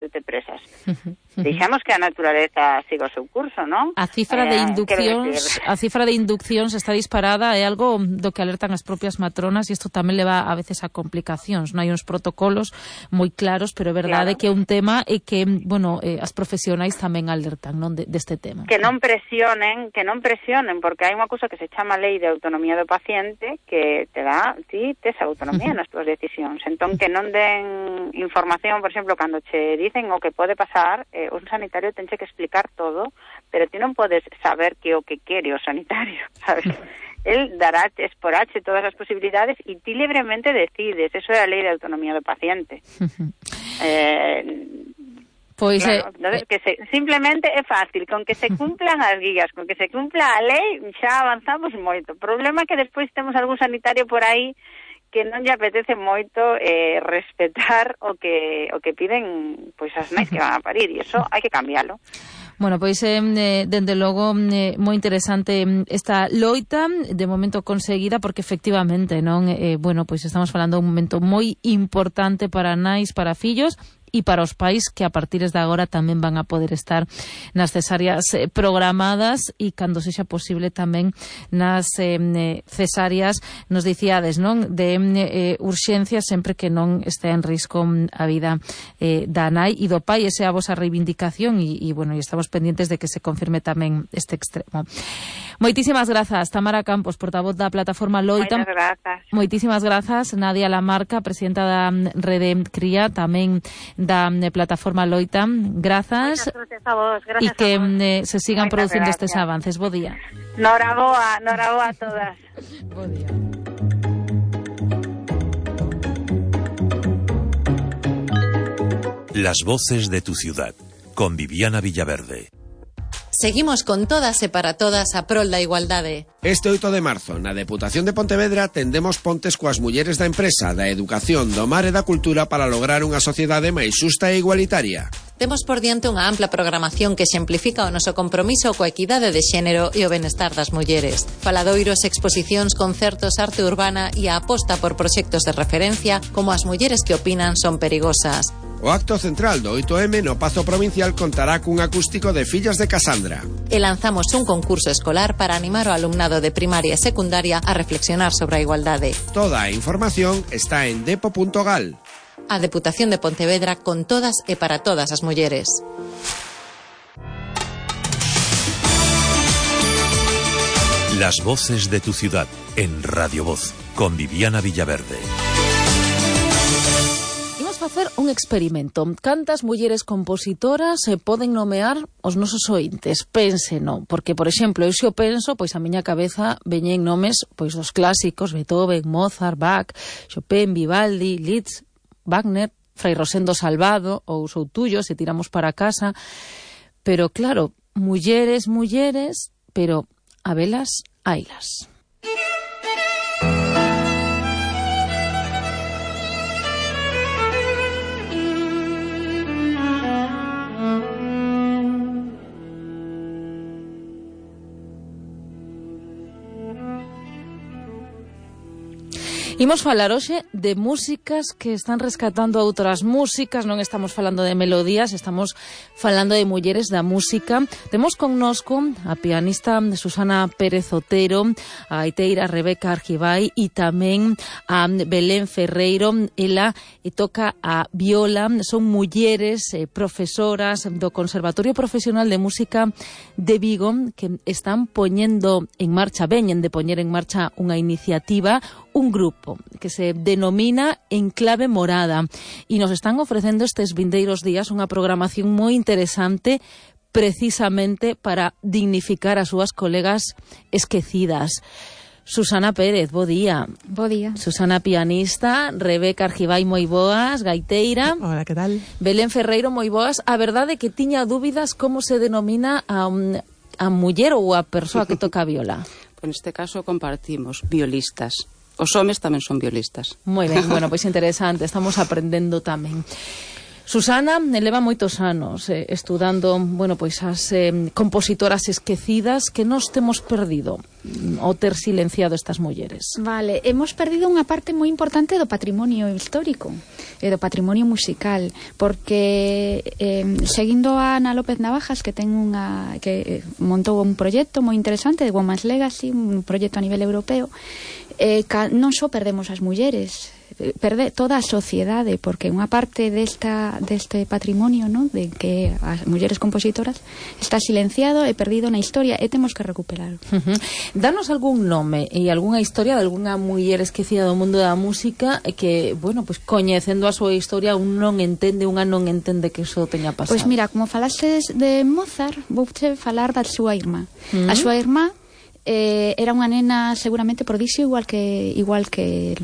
te presas. Deixamos que a naturaleza siga o seu curso, non? A cifra de induccións está disparada, é algo do que alertan as propias matronas, e isto tamén leva a veces a complicacións. Non hai uns protocolos moi claros, pero é verdade que é un tema e que, bueno, as profesionais tamén alertan, non, deste tema. Que non presionen, porque hai unha cousa que se chama Lei de Autonomía do Paciente que te dá, ti tes autonomía nas túas decisións. Entón, que non den información, por exemplo, cando che dicen o que pode pasar, un sanitario tenche que explicar todo, pero ti non podes saber que o que quere o sanitario, sabes? El dará, esporache todas as posibilidades e ti libremente decides. Eso é a Lei de Autonomía do Paciente. Pois claro, entonces, simplemente é fácil, con que se cumplan as guías, con que se cumpla a lei, xa avanzamos moito. O problema é que despois temos algún sanitario por aí que non lle apetece moito respetar o que piden pois as nais que van a parir, e iso hai que cambiálo. Bueno, pois, dende logo, moi interesante esta loita, de momento conseguida, porque efectivamente, non, bueno, pois estamos falando de un momento moi importante para nais, para fillos, e para os pais que a partir de agora tamén van a poder estar nas cesáreas programadas e cando sexa posible tamén nas cesáreas, nos dicíades, non, de urxencia, sempre que non este en risco a vida da nai e do pai. Esa é a vosa reivindicación e bueno, e estamos pendientes de que se confirme tamén este extremo. Moitísimas grazas, Tamara Campos, portavoz da plataforma Loita. Moitas grazas. Moitísimas grazas, Nadia Lamarca, presidenta da Rede Cría, tamén da plataforma Loita. Grazas. Moitas grazas a vos, grazas e que a vos. Se sigan producindo estes avances. Bo día. Noraboa a todas. Bo día. Las voces de tu ciudad, con Viviana Villaverde. Seguimos con todas e para todas a prol da igualdade. Este 8 de marzo, na Deputación de Pontevedra, tendemos pontes coas mulleres da empresa, da educación, do mar e da cultura para lograr unha sociedade máis xusta e igualitaria. Temos por diante unha ampla programación que exemplifica o noso compromiso coa equidade de xénero e o benestar das mulleres. Faladoiros, exposicións, concertos, arte urbana e a aposta por proxectos de referencia como as mulleres que opinan son perigosas. O acto central do 8M no Pazo Provincial contará cun acústico de Fillas de Casandra. E lanzamos un concurso escolar para animar o alumnado de primaria e secundaria a reflexionar sobre a igualdade. Toda a información está en depo.gal. A Deputación de Pontevedra con todas e para todas as mulleres. Las voces de tu ciudad en Radio Voz, con Viviana Villaverde. Facer un experimento. Cantas mulleres compositoras se poden nomear os nosos ointes? Pénseno, porque, por exemplo, eu xo penso, pois a miña cabeza veñen nomes pois dos clásicos, Beethoven, Mozart, Bach, Chopin, Vivaldi, Liszt, Wagner, Fray Rosendo Salvado ou Soutullo, se tiramos para casa. Pero claro, mulleres, pero a velas, hailas. Imos falar hoxe de músicas que están rescatando outras músicas, non estamos falando de melodías, estamos falando de mulleres da música. Temos connosco a pianista Susana Pérez Otero, a gaiteira Rebeca Argibay e tamén a Belén Ferreiro. Ela toca a viola, son mulleres profesoras do Conservatorio Profesional de Música de Vigo que están poñendo en marcha, veñen de poñer en marcha unha iniciativa, un grupo que se denomina Enclave Morada e nos están ofrecendo estes vindeiros días unha programación moi interesante precisamente para dignificar as súas colegas esquecidas. Susana Pérez, bo día. Bo día. Susana, pianista, Rebeca Argibay, moi boas, gaiteira. Hola, que tal? Belén Ferreiro, moi boas. A verdade é que tiña dúbidas como se denomina a muller ou a persoa que toca a viola. En este caso compartimos violistas. Os homes tamén son violistas. Moi ben, bueno, pois interesante, estamos aprendendo tamén. Susana leva moitos anos estudando, bueno, pois as compositoras esquecidas que nos temos perdido ao ter silenciado estas mulleres. Vale, hemos perdido unha parte moi importante do patrimonio histórico e do patrimonio musical, porque seguindo a Ana López Navajas, que montou un proxecto moi interesante de Women's Legacy, un proxecto a nivel europeo, non só perdemos as mulleres, perde toda a sociedade, porque unha parte deste patrimonio, ¿no?, de que as mulleres compositoras está silenciado e perdido na historia e temos que recuperarlo. Danos algún nome e algunha historia de algunha muller esquecida do mundo da música que, bueno, pues coñecendo a súa historia unha non entende que iso teña pasado. Pois mira, como falases de Mozart, vouche falar da súa irmá. A súa irmá era unha nena seguramente prodixio igual que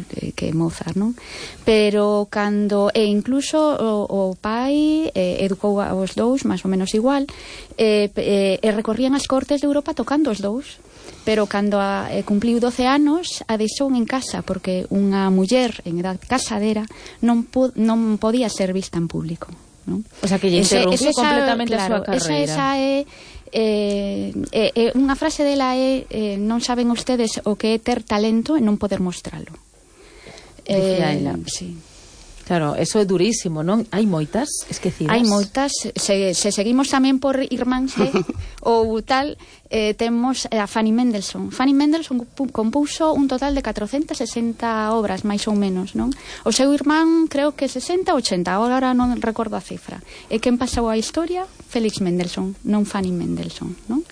Mozart, non? Pero cando incluso o pai educou aos dous máis ou menos igual, recorrían as cortes de Europa tocando os dous. Pero cando cumpliu 12 anos a deixou en casa, porque unha muller en edad casadera non podía ser vista en público, non? O sea, que lle interrompiu completamente a súa carreira. Esa é unha frase dela non saben ustedes o que é ter talento e non poder mostralo. Sí. Claro, eso é durísimo, non? Hai moitas esquecidas. Hai moitas. Se seguimos tamén por irmáns ou tal, temos a Fanny Mendelssohn. Fanny Mendelssohn compuso un total de 460 obras, máis ou menos, non? O seu irmán, creo que 60 ou 80, agora non recordo a cifra. E quen pasou a historia? Felix Mendelssohn, non Fanny Mendelssohn, non?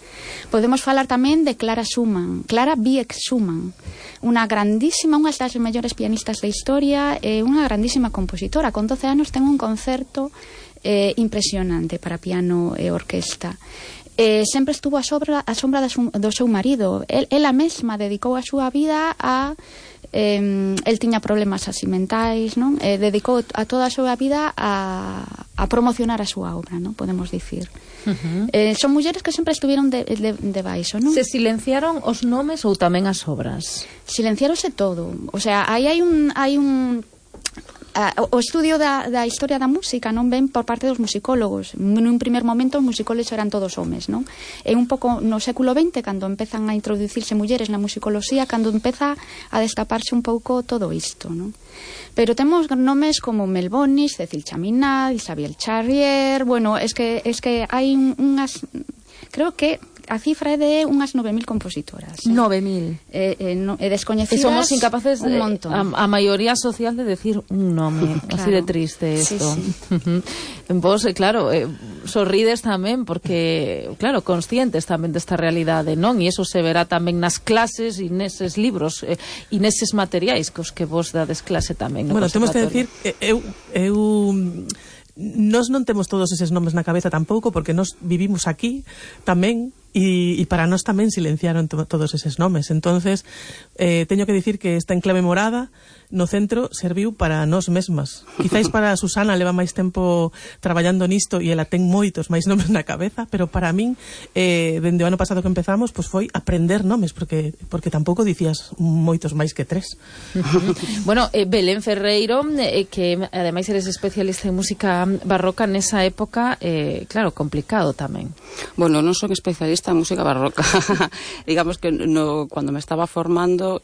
Podemos falar tamén de Clara Wieck Schumann, unha grandísima, unha das mellores pianistas da historia e unha grandísima compositora. Con 12 anos ten un concerto impresionante para piano e orquesta. Sempre estuvo a sombra do seu marido. Ela mesma dedicou a súa vida a el tiña problemas así mentais, non? Dedicou a toda a súa vida a promocionar a súa obra, non? Podemos dicir. Son mulleres que sempre estuveron de baixo, non? Se silenciaron os nomes ou tamén as obras? Silenciárose todo. O sea, aí hai un o estudio da historia da música non ven por parte dos musicólogos. Nun primer momento os musicólogos eran todos homes, non? É un pouco no século XX cando empezan a introducirse mulleres na musicoloxía, cando empeza a destaparse un pouco todo isto, non? Pero temos nomes como Mel Bonis, Cecil Chaminade, Isabel Charrier. Bueno, es que hai unhas, creo que a cifra é de unhas 9.000 compositoras. 9.000. Descoñecidas. E somos incapaces, un montón. A maioría social, de decir un nome. Claro. Así de triste isto. Sí. Vos, claro, sorrides tamén porque, claro, conscientes tamén desta realidade, non? E iso se verá tamén nas clases e neses libros e neses materiais cos que vos dades clase tamén. Bueno, temos que decir, nós non temos todos eses nomes na cabeza tampouco, porque nós vivimos aquí tamén e para nós tamén silenciaron todos eses nomes. Entonces, teño que dicir que esta enclave morada no centro serviu para nós mesmas. Quizáis para a Susana leva máis tempo traballando nisto e ela ten moitos máis nomes na cabeza, pero para min, dende o ano pasado que empezamos, pues foi aprender nomes, porque tampouco dicías moitos máis que 3. Bueno, Belén Ferreiro, que ademais eres especialista en música barroca nesa época, claro, complicado tamén. Bueno, non son especialista en música barroca. Digamos que cuando me estaba formando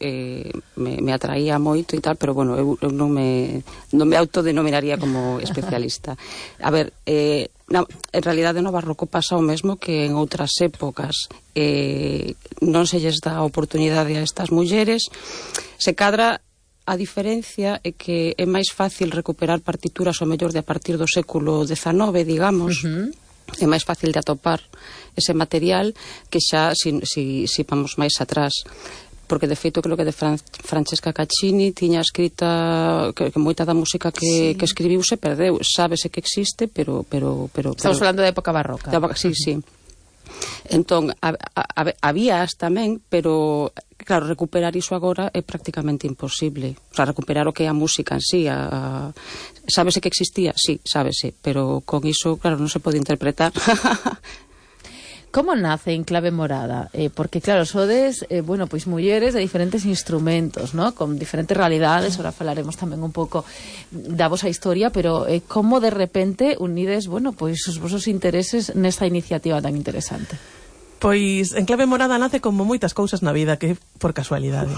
me atraía moito e tal, pero bueno, eu non me autodenominaría como especialista. A ver, en realidade no barroco pasa o mesmo que en outras épocas. Non se lles dá oportunidade a estas mulleres. Se cadra, a diferencia é que é máis fácil recuperar partituras, o mellor de a partir do século XIX, digamos. É máis fácil de atopar ese material que xa si vamos máis atrás, porque de feito creo que de Francesca Caccini tiña escrita que moita da música que escribiu se perdeu. Sábese que existe, pero estamos falando de época barroca. Sí. Entón, habías tamén, pero claro, recuperar iso agora é prácticamente imposible. O sea, recuperar o que é a música en sí. Sábese que existía? Sí, sábese, pero con iso, claro, non se pode interpretar. Como nace En Clave Morada? Porque, claro, sodes, pois mulleres de diferentes instrumentos, ¿no? Con diferentes realidades, ahora falaremos tamén un pouco da vosa historia, pero como de repente unides, pois os vosos intereses nesta iniciativa tan interesante? Pois En Clave Morada nace como moitas cousas na vida, que por casualidade.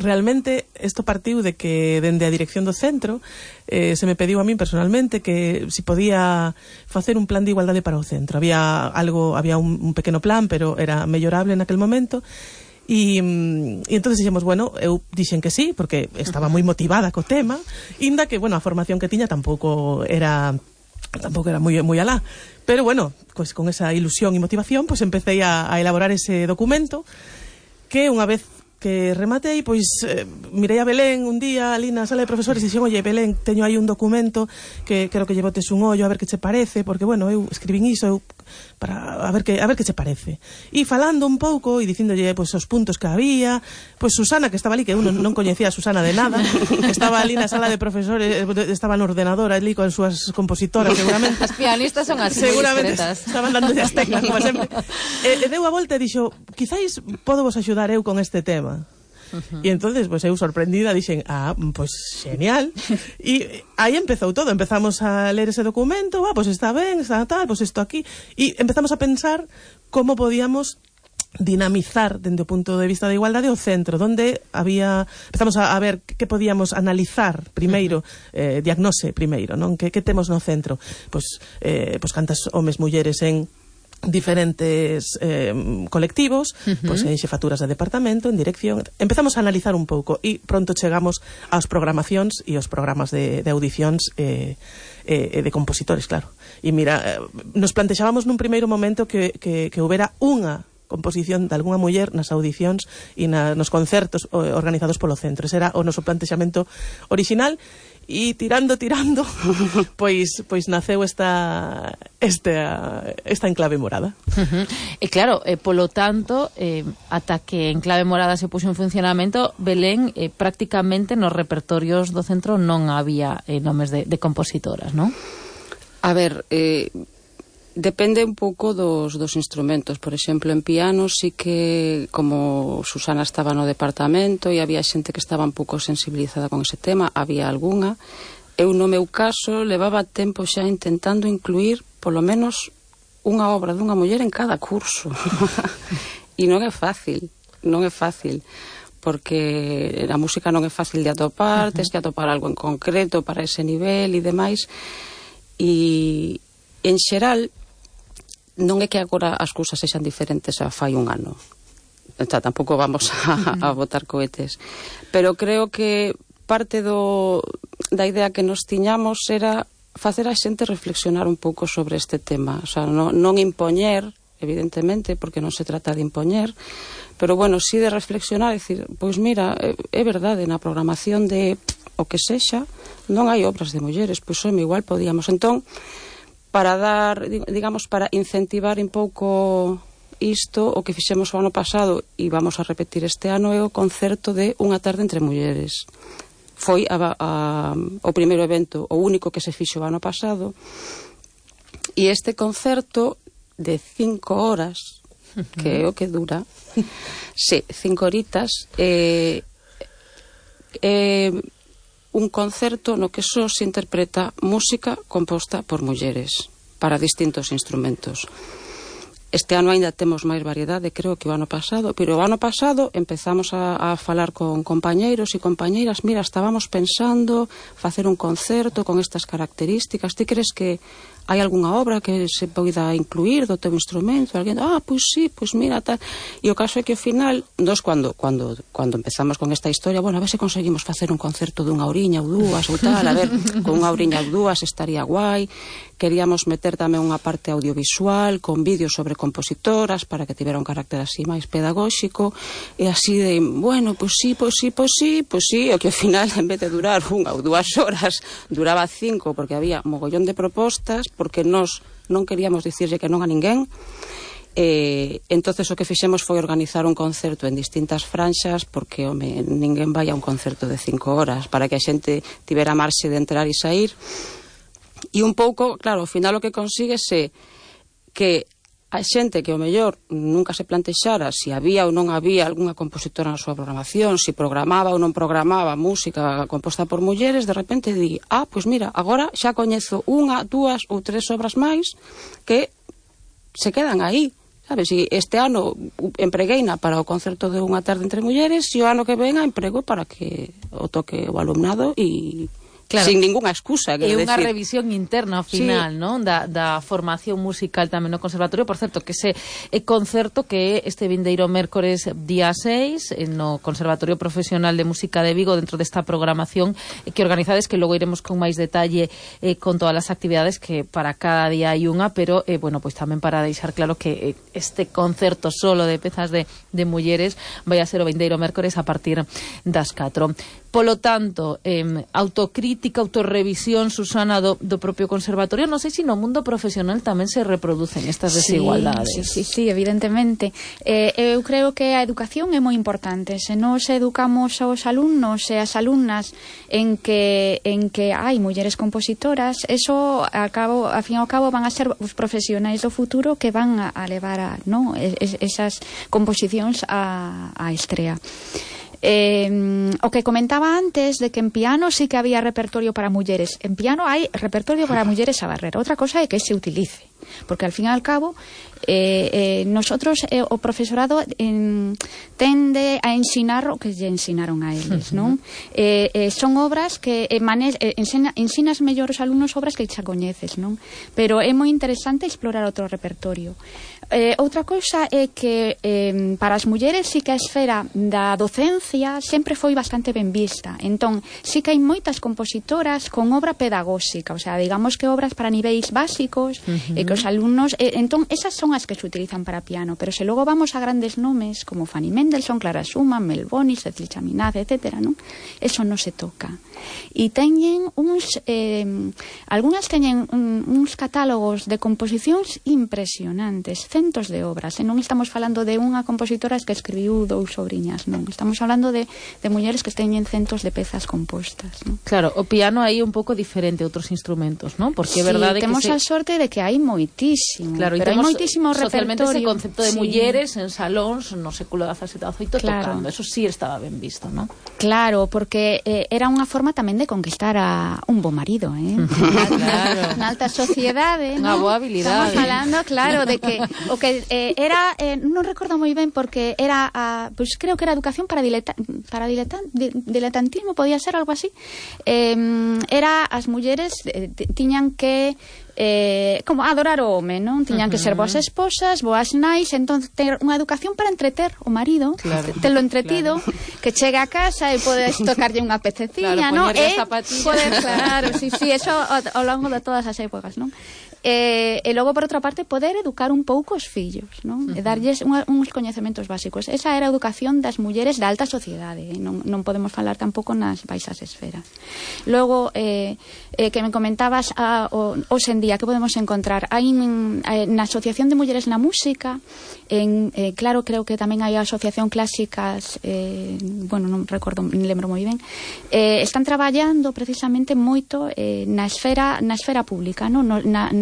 Realmente isto partiu de que dende a dirección do centro se me pediu a min personalmente que si podía facer un plan de igualdade para o centro. Había un pequeno plan, pero era mellorable naquel momento. E entonces dixemos, eu dixen que sí, porque estaba moi motivada co tema, inda que, a formación que tiña tampouco era moi alá. Pero, pues con esa ilusión e motivación, pues empecé a elaborar ese documento que unha vez que rematei, pois mirei a Belén un día ali na sala de profesores e dixen, oye, Belén, teño aí un documento que quero que lle botes un ollo a ver que che parece, porque, eu escribín iso para a ver que che parece. E falando un pouco e dicíndolle pois os puntos que había, pois Susana, que estaba ali, que eu non coñecía a Susana de nada, estaba ali na sala de profesores, estaba no ordenador ali con as súas compositoras, seguramente. As pianistas son así, seguramente estaban dando as teclas, como sempre. Deu a volta e dixo, quizáis podo vos axudar eu con este tema. E entonces, eu sorprendida dixen, pois genial. E aí empezou todo, empezamos a ler ese documento, pois está ben, está tal, pois isto aquí, e empezamos a pensar como podíamos dinamizar dende o punto de vista da igualdade o centro, donde empezamos a ver que podíamos analizar primeiro, diagnose primeiro, non? Que temos no centro? Pois cantas homes, mulleres en diferentes colectivos, pois en xefaturas de departamento, en dirección. Empezamos a analizar un pouco e pronto chegamos aos programacións e aos programas de audicións e de compositores, claro. E mira, nos plantexábamos nun primeiro momento que houbera unha composición de algunha muller nas audicións e nos concertos organizados polo centro. Ese era o noso plantexamento original. E tirando, pois naceu esta En Clave Morada. E claro, polo tanto, ata que En Clave Morada se puxo en funcionamento, Belén, prácticamente nos repertorios do centro non había nomes de compositoras, non? A ver, depende un pouco dos instrumentos. Por exemplo, en piano sí que, como Susana estaba no departamento e había xente que estaba un pouco sensibilizada con ese tema, había algunha. Eu, no meu caso, levaba tempo xa intentando incluir polo menos unha obra dunha muller en cada curso. E non é fácil, porque a música non é fácil de atopar, tens que atopar algo en concreto para ese nivel e demais. E, en xeral, non é que agora as cousas sexan diferentes a fai un ano. Tampouco vamos a botar cohetes. Pero creo que parte da idea que nos tiñamos era facer a xente reflexionar un pouco sobre este tema. O sea, non impoñer, evidentemente, porque non se trata de impoñer, pero, sí de reflexionar, decir, pois mira, é verdade, na programación de o que sexa, non hai obras de mulleres, pois igual podíamos. Entón, para para incentivar un pouco isto, o que fixemos o ano pasado e vamos a repetir este ano é o concerto de Unha tarde entre mulleres. Foi o primeiro evento, o único que se fixo o ano pasado, e este concerto de 5 horas, que é o que dura, 5 horitas, un concerto no que só se interpreta música composta por mulleres para distintos instrumentos. Este ano ainda temos máis variedade, creo, que o ano pasado, pero o ano pasado empezamos a falar con compañeiros e compañeiras, mira, estábamos pensando facer un concerto con estas características, ti crees que hai algunha obra que se poida incluir do teu instrumento? Alguén, pois sí, pois mira, tal. E o caso é que ao final, nós cando empezamos con esta historia, a ver se conseguimos facer un concerto dunha horiña ou dúas ou tal, a ver, con unha horiña ou dúas estaría guai. Queríamos meter tamén unha parte audiovisual con vídeos sobre compositoras para que tivera un carácter así máis pedagóxico, e así de, pois sí, o que ao final, en vez de durar 1 ou 2 horas, duraba 5, porque había mogollón de propostas, porque nós non queríamos dicirlle que non a ninguén. Entonces o que fixemos foi organizar un concerto en distintas franxas, porque ninguén vai a un concerto de 5 horas, para que a xente tivera marxe de entrar e sair. E un pouco, claro, ao final o que consigues é que a xente que ao mellor nunca se plantexara se había ou non había algunha compositora na súa programación, se programaba ou non programaba música composta por mulleres, de repente di, pois mira, agora xa coñezo 1, 2 ou 3 obras máis que se quedan aí, sabes? E este ano empregueina para o concerto de Unha tarde entre mulleres e o ano que venga emprego para que o toque o alumnado e... Claro, sin ninguna excusa. É unha revisión interna ao final, sí, non? Da formación musical tamén no conservatorio. Por certo, que ese concerto que este vindeiro mércores día 6 no Conservatorio Profesional de Música de Vigo, dentro desta programación que organizades, que logo iremos con máis detalle con todas as actividades, que para cada día hai unha, pero, bueno, pois tamén para deixar claro que este concerto solo de pezas de mulleres vai a ser o vindeiro mércores a partir das 4. Polo tanto, autocrítica, autorrevisión, Susana, do propio conservatorio. Non sei se no mundo profesional tamén se reproducen estas desigualdades. Sí, evidentemente. Eu creo que a educación é moi importante. Se nos educamos aos alumnos e as alumnas en que hai mulleres compositoras, eso ao fin e ao cabo van a ser os profesionais do futuro que van a levar esas composicións a estrea. O que comentaba antes de que en piano sí que había repertorio para mulleres. En piano hai repertorio para mulleres a barrer. Outra cosa é que se utilice, porque al fin e al cabo nosotros o profesorado tende a ensinar o que lle ensinaron a eles, non? Son obras que ensinas mellor os alumnos obras que xa coñeces, non? Pero é moi interesante explorar outro repertorio. Outra cousa é que para as mulleres sí que a esfera da docencia sempre foi bastante ben vista. Entón, sí que hai moitas compositoras con obra pedagóxica, o sea, digamos que obras para niveis básicos, que os alumnos... entón, esas son as que se utilizan para piano, pero se logo vamos a grandes nomes como Fanny Mendelssohn, Clara Schumann, Mel Bonis, Cecil Chaminade, etc., non? Eso non se toca. E teñen uns... algunhas teñen uns catálogos de composicións impresionantes, centos de obras, e non estamos falando de unha compositora que escribiu 2 obriñas, non, estamos falando de mulleres que teñen centos de pezas compostas, non? Claro, o piano aí é un pouco diferente a outros instrumentos, non? Porque é verdade que temos a sorte de que hai moitísimo, claro, pero hai moitísimo socialmente repertorio. Ese concepto de mulleres en salóns no século XVII e XVIII tocando, eso sí estaba ben visto, non? Claro, porque era unha forma tamén de conquistar a un bo marido, claro. Na alta sociedade, unha boa habilidade. Estamos falando, claro, de que o que era, non recordo moi ben, porque era, pues creo que era educación para diletantismo, podía ser algo así. Era as mulleres tiñan que como adorar o home, non? Tiñan que ser boas esposas, boas nais, entón ter unha educación para entreter o marido, claro, telo entretido, claro, que chegue a casa e podes tocarlle unha pececiña, claro, non? Claro, sí, eso ao longo de todas as épocas, non? E logo, por outra parte, poder educar un pouco os fillos, non? E darlles uns coñecementos básicos. Esa era a educación das mulleres da alta sociedade, non podemos falar tampouco nas baixas esferas. Logo, que me comentabas hoxe en día, que podemos encontrar? Hai na Asociación de Mulleres na Música, claro, creo que tamén hai a Asociación Clásicas, bueno, non recordo, non lembro moi ben, están traballando precisamente moito na esfera pública, non?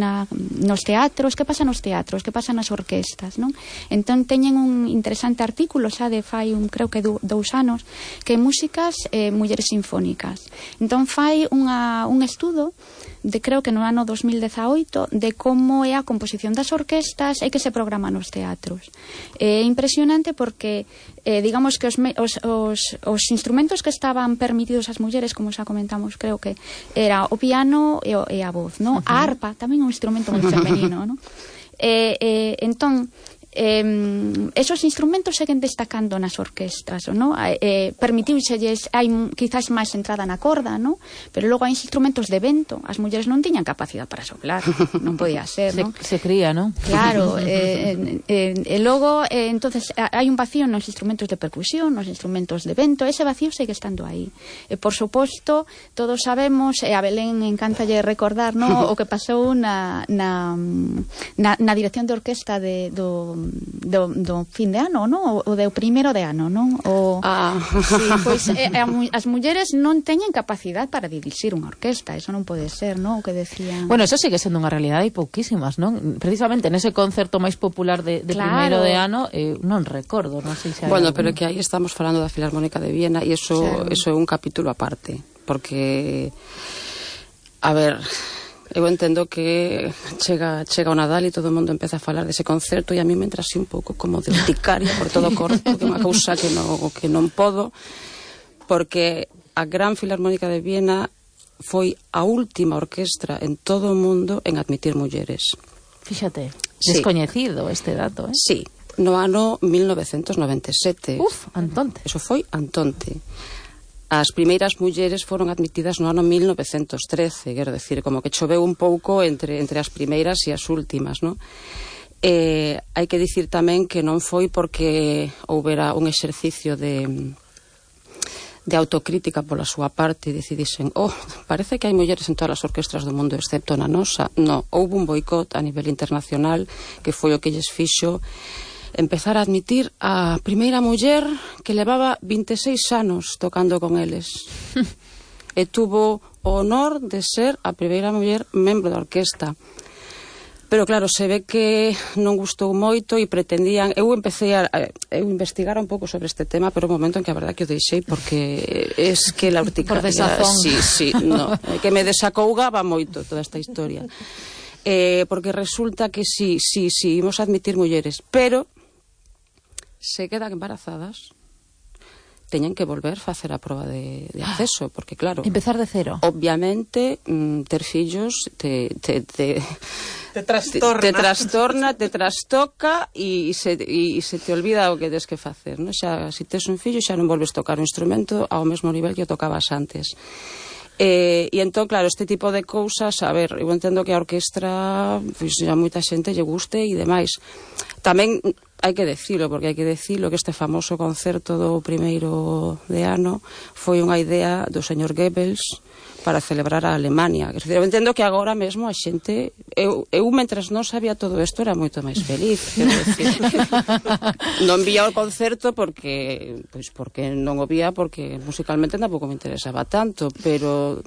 Nos teatros, que pasa nos teatros, que pasa nas orquestas, non? Entón teñen un interesante artículo xa de fai creo que 2 anos, que músicas mulleres sinfónicas. Entón fai un estudo de, creo que no ano 2018, de como é a composición das orquestas e que se programa nos teatros. É impresionante porque digamos que os instrumentos que estaban permitidos ás mulleres, como xa comentamos, creo que era o piano e a voz, non? A arpa tamén é un instrumento moi femenino, non? Entón, esos instrumentos seguen destacando nas orquestas, non? Permitiuselles, hai quizás máis entrada na corda, non? Pero logo hai instrumentos de vento, as mulleres non tiñan capacidade para soplar, non podía ser, non? Se cría, non? Claro, e logo entonces hai un vacío nos instrumentos de percusión, nos instrumentos de vento, ese vacío segue estando aí. E por suposto, todos sabemos, e a Belén encantalle recordar, non? O que pasou na dirección de orquesta do fin de ano, non? O do primeiro de ano, non? Sí, pois as mulleres non teñen capacidade para dirixir unha orquesta, eso non pode ser, non? O que decían. Bueno, eso sigue sendo unha realidade e pouquísimas, non? Precisamente nese concerto máis popular de primeiro de ano, non recordo, non sei se hai Bueno, pero que aí estamos falando da Filarmónica de Viena e eso é un capítulo aparte, porque a ver, eu entendo que chega o Nadal e todo o mundo empeza a falar dese concerto e a mí me entra así un pouco como de urticaria por todo o corpo, que é unha cousa que non podo, porque a Gran Filarmónica de Viena foi a última orquestra en todo o mundo en admitir mulleres. Fíxate, descoñecido este dato, Sí, no ano 1997. Antonte. Eso foi Antonte. As primeiras mulleres foron admitidas no ano 1913, quero decir, como que choveu un pouco entre as primeiras e as últimas, non? Hai que dicir tamén que non foi porque houbera un exercicio de autocrítica pola súa parte e decidisen, parece que hai mulleres en todas as orquestras do mundo excepto na nosa. Non, houve un boicot a nivel internacional que foi o que lles fixo empezar a admitir a primeira muller que levaba 26 anos tocando con eles. E tuvo o honor de ser a primeira muller membro da orquesta. Pero claro, se ve que non gustou moito e pretendían... Eu empecé a investigar un pouco sobre este tema, pero un momento en que a verdade que o deixei porque es que la urticaria... Por desazón. Sí, no, que me desacougaba moito toda esta historia. Porque resulta que sí, imos admitir mulleres, pero se quedan embarazadas, teñen que volver facer a proba de acceso, porque claro... Empezar de cero. Obviamente, ter fillos te trastorna, te trastoca e se te olvida o que tens que facer, non? Xa, se tes un fillo xa non volves tocar o instrumento ao mesmo nivel que o tocabas antes. E entón, claro, este tipo de cousas, a ver, eu entendo que a orquestra, pois a moita xente lle guste e demais. Tamén hai que decilo, porque hai que decilo que este famoso concerto do primeiro de ano foi unha idea do señor Goebbels para celebrar a Alemania. Quer dizer, eu entendo que agora mesmo a xente... Eu mentras non sabía todo isto, era moito máis feliz. Quero decir, non vía o concerto porque non o vía, porque musicalmente tampouco me interesaba tanto, pero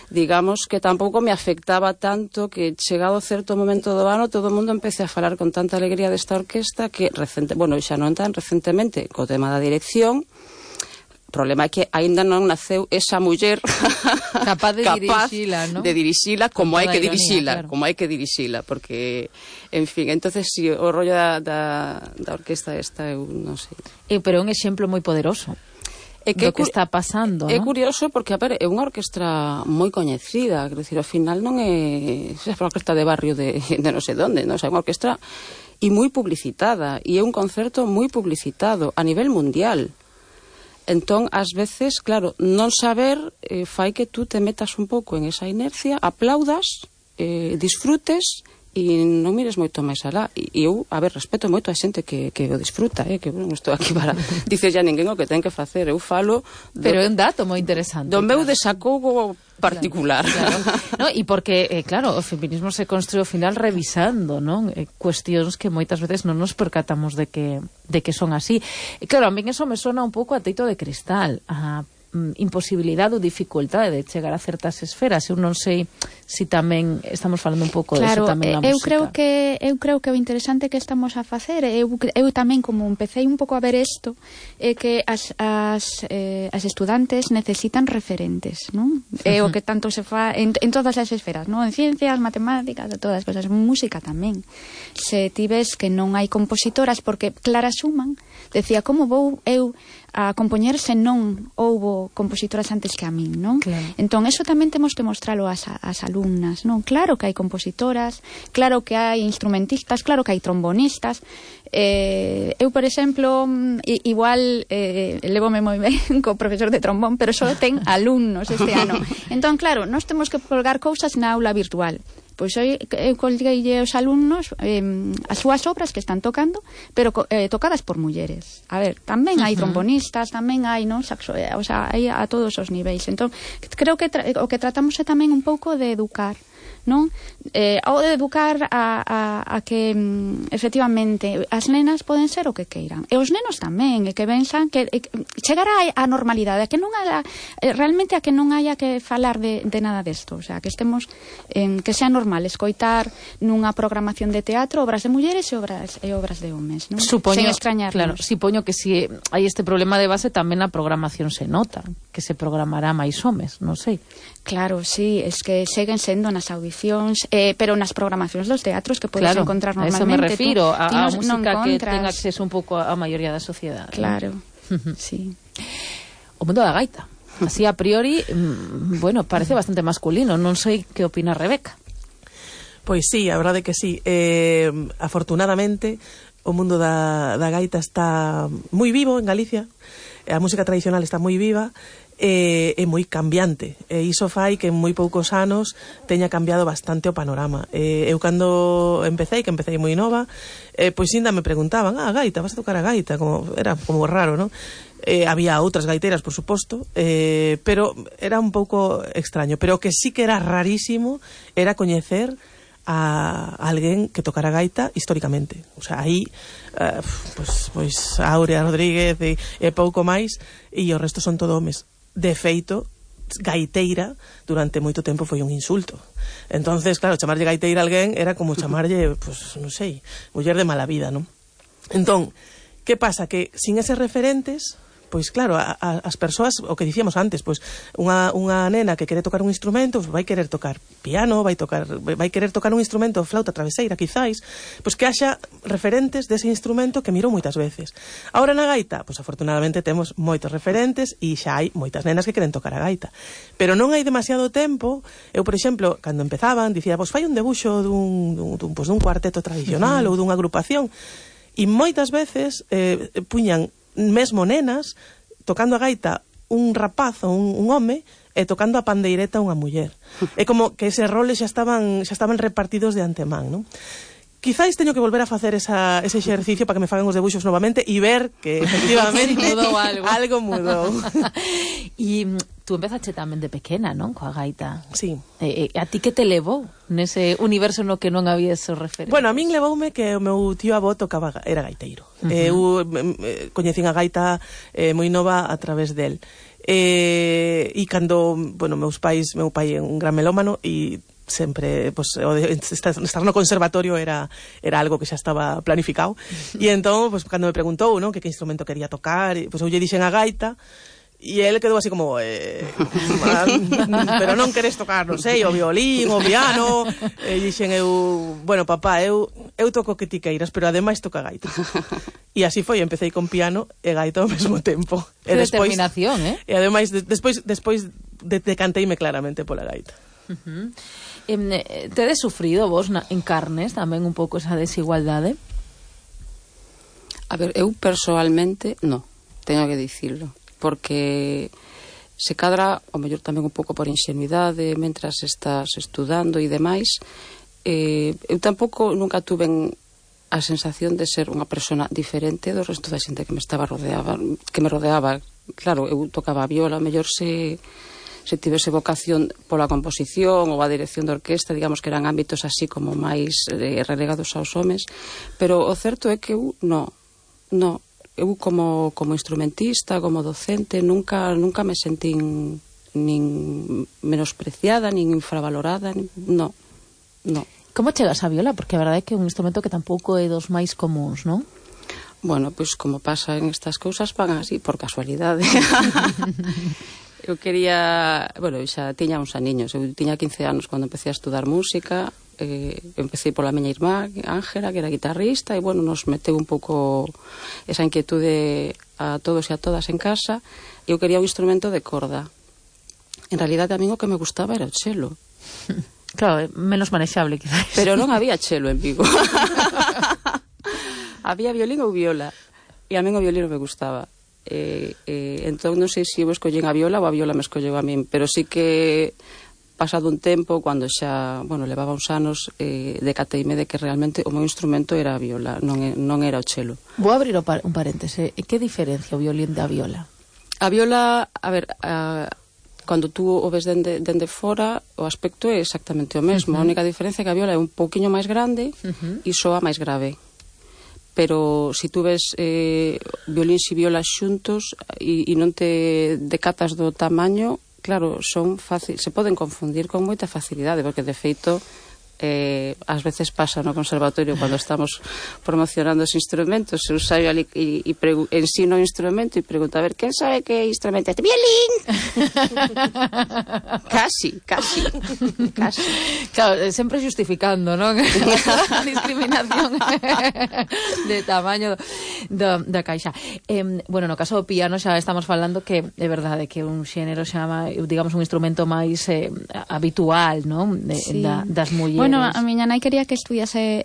digamos que tampouco me afectaba tanto que chegado certo momento do ano todo o mundo empece a falar con tanta alegría desta orquesta que, xa non tan recentemente, co tema da dirección. O problema é que aínda non naceu esa muller capaz de dirixila, ¿no? De dirixila como hai que dirixila, claro. Como hai que dirixila, porque, en fin, entonces si o rollo da orquesta esta, eu non sei. Pero é un exemplo moi poderoso do que está pasando, é ¿no? curioso porque, a ver, é unha orquestra moi coñecida, quero dicir, ao final non é unha orquestra de barrio de non sei onde, non? É unha orquestra e moi publicitada, e é un concerto moi publicitado a nivel mundial. Entón, ás veces, claro, non saber fai que tú te metas un pouco en esa inercia, aplaudas, disfrutes e non mires moito máis alá. E eu, a ver, respeto moito a xente que o disfruta, que non estou aquí para dicer ya ninguén o que ten que facer. Eu falo... Pero é un dato moi interesante. Do meu desacougo particular. Claro. No, e porque, claro, o feminismo se construe ao final revisando, non? Cuestións que moitas veces non nos percatamos de que son así. E claro, a min eso me sona un pouco a teito de cristal, a imposibilidade ou dificultade de chegar a certas esferas. Eu non sei se tamén estamos falando un pouco claro, disso tamén na música. Eu creo que o interesante que estamos a facer, eu tamén como empecé un pouco a ver isto, é que as estudantes necesitan referentes, non? É o que tanto se fa en todas as esferas, non? En ciencias, matemáticas, todas as cosas, música tamén. Se ti ves que non hai compositoras, porque Clara Schumann decía, como vou eu a compoñer se non houbo compositoras antes que a min, non? Claro. Entón, eso tamén temos que mostralo ás alumnas, non? Claro que hai compositoras, claro que hai instrumentistas, claro que hai trombonistas. Eu, por exemplo, igual levome moi ben co profesor de trombón, pero só ten alumnos este ano. Entón, claro, nós temos que colgar cousas na aula virtual. Pois eu colgueille aos alumnos as súas obras que están tocando, pero tocadas por mulleres. A ver, tamén hai trombonistas, tamén hai, non, saxo, o sea, hai a todos os niveis. Entón, creo que o que tratamos é tamén un pouco de educar non? Ou de educar a que efectivamente as nenas poden ser o que queiran, e os nenos tamén, e que pensan que chegar á normalidade, a que non haya, realmente a que non haya que falar de nada desto, o sea, que estemos que sea normal escoitar nunha programación de teatro obras de mulleres e obras de homes, non? Supoño, sen extrañarnos. claro, supoño que si hai este problema de base tamén a programación se nota, que se programará máis homes, non sei. Claro, sí, es que seguen sendo nas audicións, pero nas programacións dos teatros que podes encontrar normalmente. A eso me refiro, a música que ten encontras... acceso un pouco a maioría da sociedade. Claro, sí. O mundo da gaita, así a priori, bueno, parece bastante masculino, non sei que opina Rebeca. Pois sí, a verdade que sí. Afortunadamente, o mundo da gaita está moi vivo en Galicia, a música tradicional está moi viva, é moi cambiante, e iso fai que en moi poucos anos teña cambiado bastante o panorama. Eu cando empecé moi nova, pois ainda me preguntaban, gaita, vas a tocar a gaita? Era como raro, non? Había outras gaiteras, por suposto, pero era un pouco extraño. Pero o que sí que era rarísimo era coñecer a alguén que tocara gaita históricamente. O sea, aí pois Áurea Rodríguez e pouco máis, e o resto son todo homes. De feito, gaiteira durante moito tempo foi un insulto. Entonces, claro, chamarlle gaiteira a alguén era como chamarlle, pues, non sei, muller de mala vida, non? Entón, que pasa? Que sin eses referentes, pois claro, as persoas, o que dicíamos antes, pois unha nena que quere tocar un instrumento, pois vai querer tocar piano, vai querer tocar un instrumento, flauta traveseira, quizáis, pois que haxa referentes dese instrumento que mirou moitas veces. Ahora na gaita, pois afortunadamente temos moitos referentes e xa hai moitas nenas que queren tocar a gaita. Pero non hai demasiado tempo. Eu, por exemplo, cando empezaban, dicía, pois fai un debuxo dun cuarteto tradicional ou dunha agrupación, e moitas veces puñan mesmo nenas tocando a gaita un rapaz ou un home e tocando a pandeireta unha muller. É como que eses roles xa estaban repartidos de antemán, non? Quizáis teño que volver a facer ese exercicio para que me fagan os debuxos novamente e ver que efectivamente mudou algo mudou. E tú empezaste tamén de pequena, non? Coa gaita. Sí. A ti que te levou nese universo no que non había esos referentes? Bueno, a min levoume que o meu tío avó era gaiteiro. Eu coñecín a gaita moi nova a través del. E cando, bueno, meu pai é un gran melómano e sempre, pues, estar no conservatorio era algo que xa estaba planificado. E entón, pues, cando me preguntou, ¿no?, que instrumento quería tocar, pues, eu lle dixen a gaita, e ele quedou así como pero non queres tocar, non sei, o violín, o piano. E dixen eu, bueno, papá, eu toco que ti queiras, pero ademais toca gaita. E así foi, empecé con piano e gaita ao mesmo tempo. Que determinación, E ademais, despois decanteime claramente pola gaita. Tedes sufrido vos en carnes tamén un pouco esa desigualdade? A ver, eu persoalmente no, teño que dicirlo, porque se cadra, o mellor tamén un pouco por ingenuidade, mentras estás estudando e demais, eu tampouco nunca tuve a sensación de ser unha persona diferente do resto da xente que me rodeaba. Claro, eu tocaba a viola, o mellor se tivese vocación pola composición ou a dirección de orquesta, digamos que eran ámbitos así como máis relegados aos homes, pero o certo é que eu eu como instrumentista, como docente, nunca me sentín nin menospreciada, nin infravalorada, no. Como chegas a viola? Porque a verdade é que é un instrumento que tampouco é dos máis comuns, non? Bueno, pois como pasa en estas cousas, van así por casualidade. Eu quería, bueno, xa tiña uns aniños, eu tiña 15 anos cando empecé a estudar música, empecé pola miña irmá, Ángela, que era guitarrista, e, bueno, nos meteu un pouco esa inquietude a todos e a todas en casa, e eu quería un instrumento de corda. En realidade, a mí o que me gustaba era o chelo. Claro, menos manexable, quizás. Pero non había chelo en Vigo. Había violín ou viola, e a min o violín me gustaba. Entón non sei se eu escollín a viola ou a viola me escolleu a min, pero sí que pasado un tempo, cando xa, bueno, levaba uns anos, decateime de que realmente o meu instrumento era a viola, non era o chelo. Vou abrir un paréntese. Que diferencia o violín da viola? A viola, a ver, cando tú o ves dende fora, o aspecto é exactamente o mesmo. A única diferencia é que a viola é un pouquiño máis grande e soa máis grave. Pero se tú ves violíns e violas xuntos e non te decatas do tamaño, claro, se poden confundir con moita facilidade, porque de feito ás veces pasa no conservatorio cando estamos promocionando os instrumentos, se usaio ali e ensino o instrumento e pregunto, a ver, quen sabe que instrumento é? Violín! Casi. Claro, sempre justificando, non? A discriminación de tamaño da caixa. Bueno, no caso do piano xa estamos falando que é verdade que un xénero xa, digamos, un instrumento máis habitual, non? Das mulleres. Bueno, a miña nai quería que estudase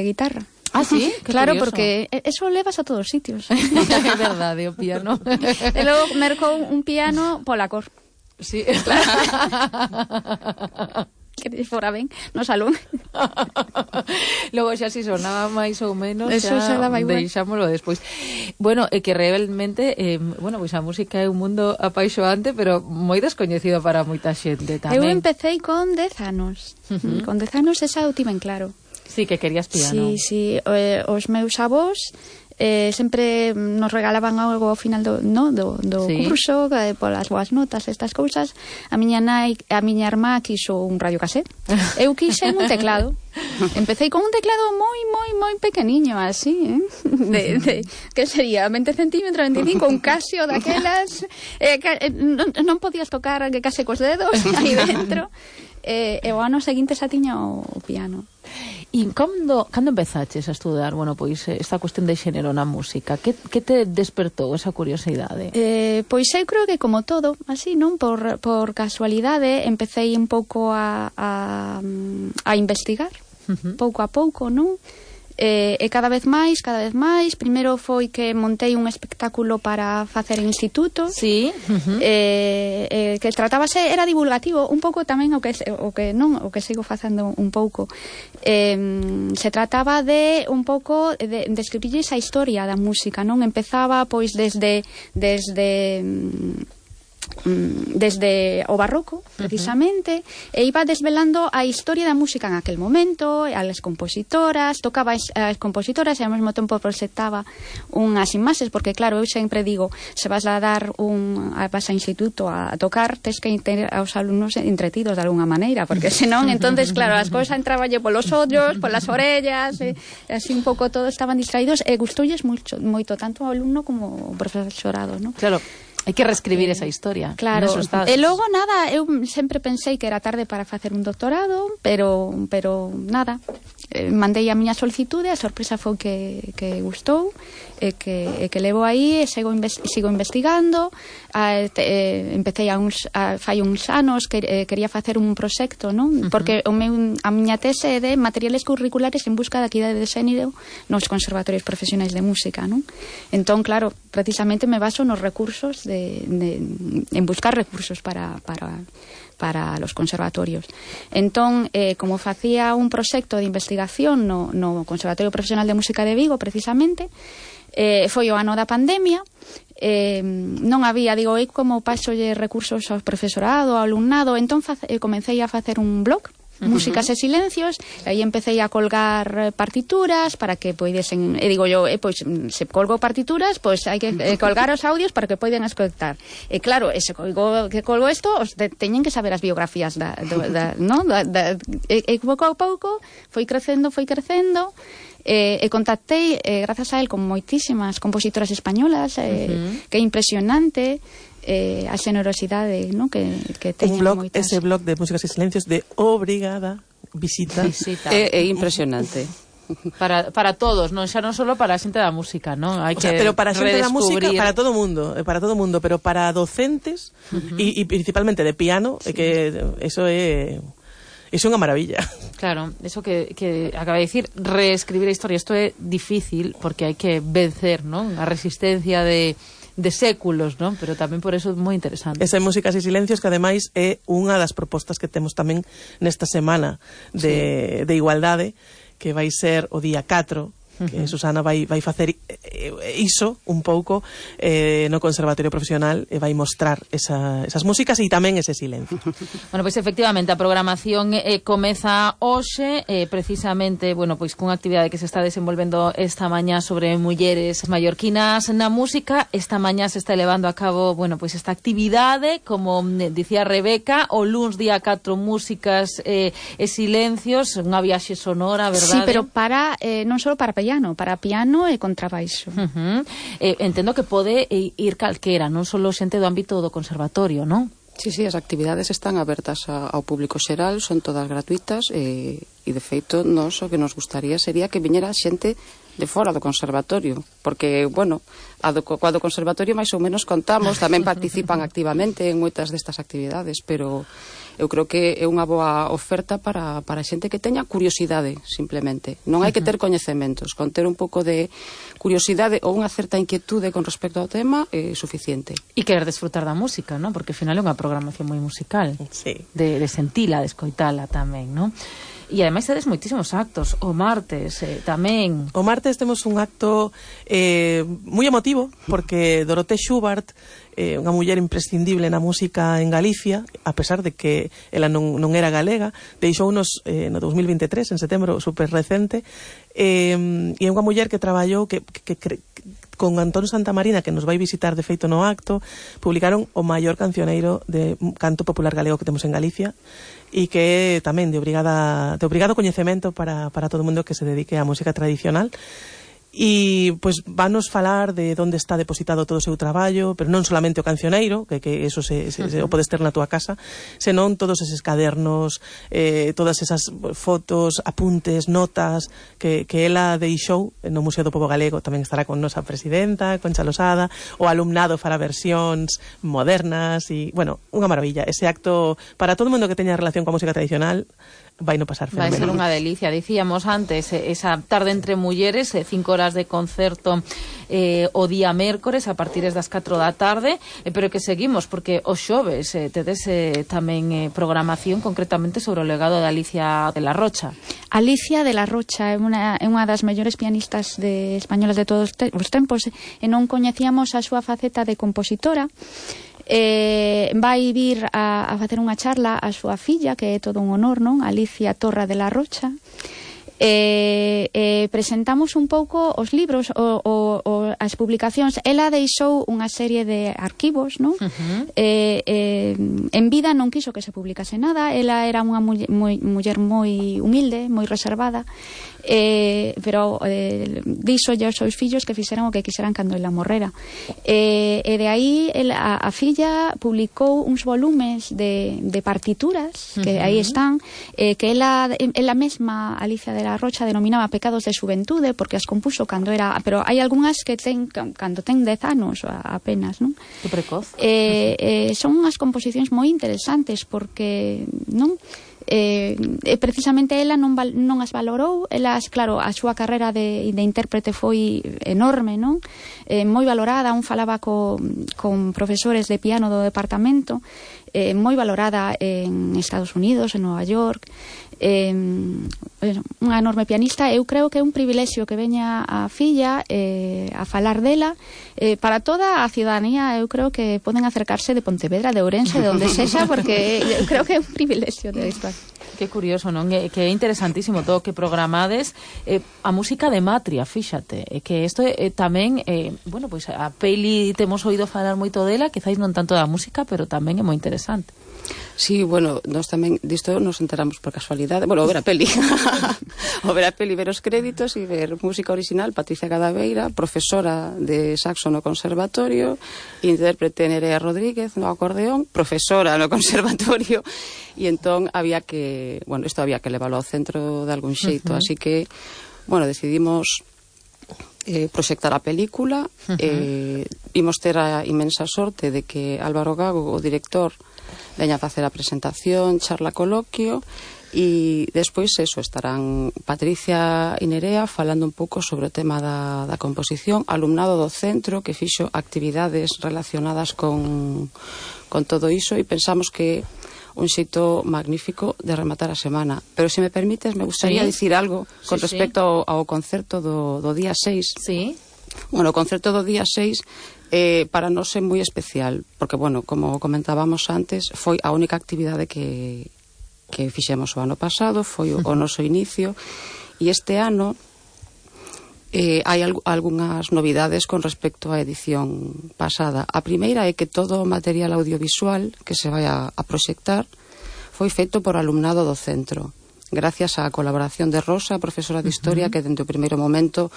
guitarra. Ah, sí? Claro, curioso. porque eso levas a todos os sitios. É verdade, o piano. E logo mercou un piano pola cor. Sí, claro. Que fora ben no salón. Logo xa si sonaba máis ou menos, eso xa daba igual. Deixámoslo despois. Bueno, que realmente pois a música é un mundo apaixoante, pero moi descoñecido para moita xente tamén. Eu empecé con 10 anos. Con 10 anos esa eu tiven claro. Sí, que querías piano. Sí, os meus avós sempre nos regalaban algo ao final do curso, polas boas notas, estas cousas. A miña irmá quixo un radiocasete. Eu quixen un teclado. Empecé con un teclado moi pequeniño, así, que sería 20 centímetros, 25, un Casio daquelas, non podías tocar que case cos dedos aí dentro. E o ano seguinte xa tiña o piano. E cando empezaches a estudar, bueno, pois esta cuestión de xénero na música, que te despertou esa curiosidade? Pois eu creo que como todo, así, non? Por casualidade, empecé un pouco a investigar, pouco a pouco, non? E cada vez máis, primeiro foi que montei un espectáculo para facer instituto. Sí. Que tratábase, era divulgativo, un pouco tamén o que sigo facendo un pouco. Se trataba de un pouco de escribir esa historia da música, non? Empezaba pois desde o barroco, precisamente, e iba desvelando a historia da música en aquel momento, as compositoras, tocaba as compositoras e ao mesmo tempo proxectaba unhas imaxes, porque claro, eu sempre digo, se vas a instituto a tocar, tes que ter aos alumnos entretidos de alguna maneira, porque senón, entonces, claro, as cousas entrabanlle polos ollos, polas orellas, así un pouco todos estaban distraídos, e gustoulles moito tanto ao alumno como ao profesorado, non? Claro. Hai que reescribir esa historia. Claro, e logo nada, eu sempre pensei que era tarde para facer un doctorado, pero nada, mandei a miña solicitude, a sorpresa foi que gustou, e que levo aí, e sigo investigando. Empecé fai uns anos que quería facer un proxecto, non? Porque a miña tese é de materiales curriculares en busca da equidade de xénero nos conservatorios profesionais de música, non? Entón, claro, precisamente me baso nos recursos en buscar recursos para los conservatorios. Entón, como facía un proxecto de investigación no Conservatorio Profesional de Música de Vigo, precisamente, foi o ano da pandemia, non había, digo, como pasolle recursos ao profesorado, ao alumnado, entón comecei a facer un blog, Músicas e Silencios, e aí empecé a colgar partituras para que poidesen, e digo yo, pois se colgo partituras, pois hai que colgar os audios para que poidan escoitar. E claro, se colgo isto, teñen que saber as biografías e pouco a pouco foi crecendo, e contactei, grazas a él, con moitísimas compositoras españolas, que é impresionante a xenerosidade, ¿no? que teñen moitas. Ese blog de Músicas e Silencios de obrigada visita. É impresionante. Para todos, non xa non só para a xente da música, non? Hai que pero para a xente da música, para todo o mundo, pero para docentes e principalmente de piano, que eso é unha maravilla. Claro, eso que acaba de dicir, reescribir a historia, isto é difícil porque hai que vencer, non? A resistencia de séculos, non? Pero tamén por eso é moi interesante. Esa Músicas e Silencios, que ademais é unha das propostas que temos tamén nesta semana de igualdade, que vai ser o día 4 que Susana vai facer iso un pouco no Conservatorio Profesional e vai mostrar esas músicas e tamén ese silencio. Bueno, pois efectivamente a programación comeza hoxe, precisamente, bueno, pois cunha actividade que se está desenvolvendo esta mañá sobre mulleres mallorquinas na música. Esta mañá se está levando a cabo, bueno, pois esta actividade, como dicía Rebeca, o luns día 4 músicas e silencios, unha viaxe sonora, verdade? Sí, pero para non só para piano e contrabaixo. Entendo que pode ir calquera, non só xente do ámbito do conservatorio, non? Sí, as actividades están abertas ao público xeral, son todas gratuitas e de feito nos o que nos gustaría sería que viñera xente de fora do conservatorio, porque, bueno, coa do conservatorio máis ou menos contamos, tamén participan activamente en moitas destas actividades, pero eu creo que é unha boa oferta para xente que teña curiosidade, simplemente. Non hai que ter coñecementos, con ter un pouco de curiosidade ou unha certa inquietude con respecto ao tema é suficiente. E querer desfrutar da música, non? Porque ao final é unha programación moi musical. Sí. De sentila, de escoitala tamén, non? E ademais tedes moitísimos actos. O martes tamén. O martes temos un acto moi emotivo, porque Dorothée Schubart, unha muller imprescindible na música en Galicia, a pesar de que ela non era galega, deixounos no 2023, en setembro, super recente, e é unha muller que traballou con Antón Santamarina, que nos vai visitar de feito no acto, publicaron o maior cancioneiro de canto popular galego que temos en Galicia, e que é tamén de obrigado coñecemento para todo o mundo que se dedique á música tradicional. E pois vanos falar de onde está depositado todo o seu traballo, pero non solamente o cancioneiro, que eso o podes ter na túa casa, senón todos eses cadernos, todas esas fotos, apuntes, notas que ela deixou no Museo do Pobo Galego. Tamén estará con nosa presidenta, Concha Losada, o alumnado fará versións modernas e, bueno, unha maravilla. Ese acto, para todo o mundo que teña relación coa música tradicional, vai no pasar fenomenal. Vai ser unha delicia. Dicíamos antes, esa tarde entre mulleres, 5 horas de concerto o día mércores a partir das 4 da tarde, pero que seguimos, porque os xoves tedes tamén programación concretamente sobre o legado de Alicia de la Rocha. Alicia de la Rocha é unha das mellores pianistas españolas de todos os tempos, e non coñecíamos a súa faceta de compositora. Vai vir a facer unha charla a súa filla, que é todo un honor, non? Alicia Torra de la Rocha. Presentamos un pouco os libros as publicacións. Ela deixou unha serie de arquivos, non? En vida non quiso que se publicase nada. Ela era unha muller moi humilde, moi reservada, pero díxolle aos seus fillos que fixeran o que quixeran cando ela morrera, e de aí a filla publicou uns volumes de partituras que aí están, que ela mesma, Alicia de la Rocha, denominaba pecados de xuventude, porque as compuxo cando era, pero hai algunhas que cando ten 10 anos apenas, non? Que precoz. Son unhas composicións moi interesantes, porque non precisamente ela non as valorou. Elas, claro, a súa carreira de intérprete foi enorme, non? Moi valorada. Un falaba con profesores de piano do departamento, moi valorada en Estados Unidos, en Nova York. Unha enorme pianista. Eu creo que é un privilexio que veña a filla a falar dela para toda a ciudadanía. Eu creo que poden acercarse de Pontevedra, de Ourense, de onde sexa, porque eu creo que é un privilexio de isto. Que curioso, non? Que é interesantísimo todo o que programades. A música de Matria, fíxate, que isto tamén, bueno, pois a peli temos oído falar moito dela, quizáis non tanto da música, pero tamén é moi interesante. Sí, bueno, nós tamén disto nos enteramos por casualidade. Bueno, ver a peli. Ver os créditos e ver música original. Patricia Cadaveira, profesora de saxo no conservatorio, intérprete Nerea Rodríguez no acordeón, profesora no conservatorio, e entón había que, bueno, isto había que leválo ao centro de algún xeito, así que, bueno, decidimos proxectar a película. Imos ter a inmensa sorte de que Álvaro Gago, o director, veña a facer a presentación, charla, coloquio, e despois estarán Patricia e Nerea falando un pouco sobre o tema da composición, alumnado do centro que fixo actividades relacionadas con todo iso, e pensamos que un xeito magnífico de rematar a semana. Pero se me permites, me gustaría dicir algo con respecto ao concerto do día 6. Sí. Bueno, o concerto do día 6 para nós é moi especial, porque, bueno, como comentábamos antes, foi a única actividade que fixemos o ano pasado, foi o noso inicio, e este ano hai algunhas novidades con respecto á edición pasada. A primeira é que todo o material audiovisual que se vai a proxectar foi feito por alumnado do centro, gracias á colaboración de Rosa, profesora de Historia, que dende o primeiro momento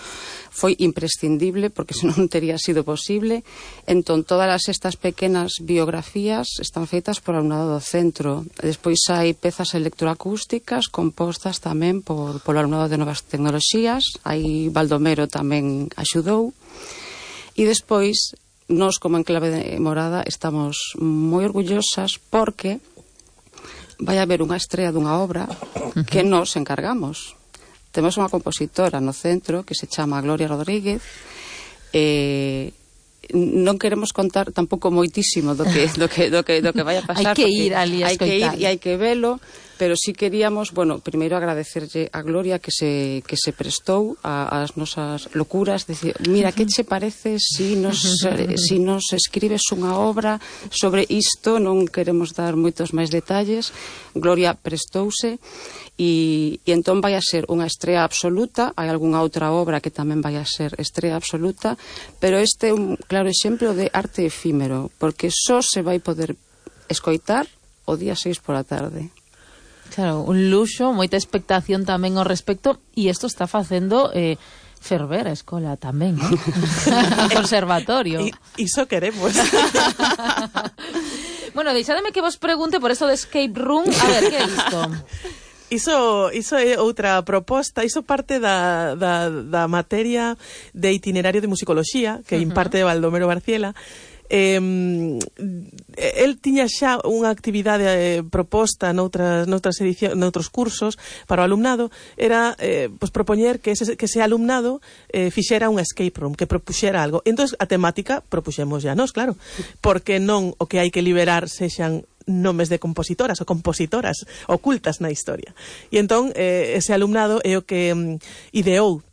foi imprescindible, porque senón tería sido posible. Entón, todas estas pequenas biografías están feitas por alumnado do centro. Despois hai pezas electroacústicas compostas tamén polo alumnado de Novas Tecnoloxías. Aí Baldomero tamén axudou. E despois, nós como Enclave de Morada estamos moi orgullosas porque vai haber unha estrea dunha obra que nos encargamos. Temos unha compositora no centro que se chama Gloria Rodríguez. Non queremos contar tampouco moitísimo do que vai a pasar. Hai que ir ali a escoitar. Hai que ir e hai que velo, pero sí queríamos, bueno, primeiro agradecerlle a Gloria que se prestou ás nosas locuras, decir, mira, que che parece si nos escribes unha obra sobre isto, non queremos dar moitos máis detalles. Gloria prestouse e entón vai a ser unha estrea absoluta. Hai algunha outra obra que tamén vai a ser estrea absoluta, pero este é un claro exemplo de arte efímero, porque só se vai poder escoitar o día 6 pola tarde. Claro, un luxo, moita expectación tamén ao respecto, e isto está facendo ferver a escola tamén, ¿no? O conservatorio. Iso queremos. Bueno, deixademe que vos pregunte por eso de escape room. A ver, que é isto? Iso é outra proposta, iso parte da materia de itinerario de musicoloxía que imparte Baldomero Barciela. El tiña xa unha actividade proposta noutras edicións, noutros cursos para o alumnado, era propoñer que ese alumnado fixera un escape room, que propuxera algo. Entón, a temática propuxemos ya nós, claro, porque non o que hai que liberar sexan nomes de compositoras ou compositoras ocultas na historia. E entón, ese alumnado é o que ideou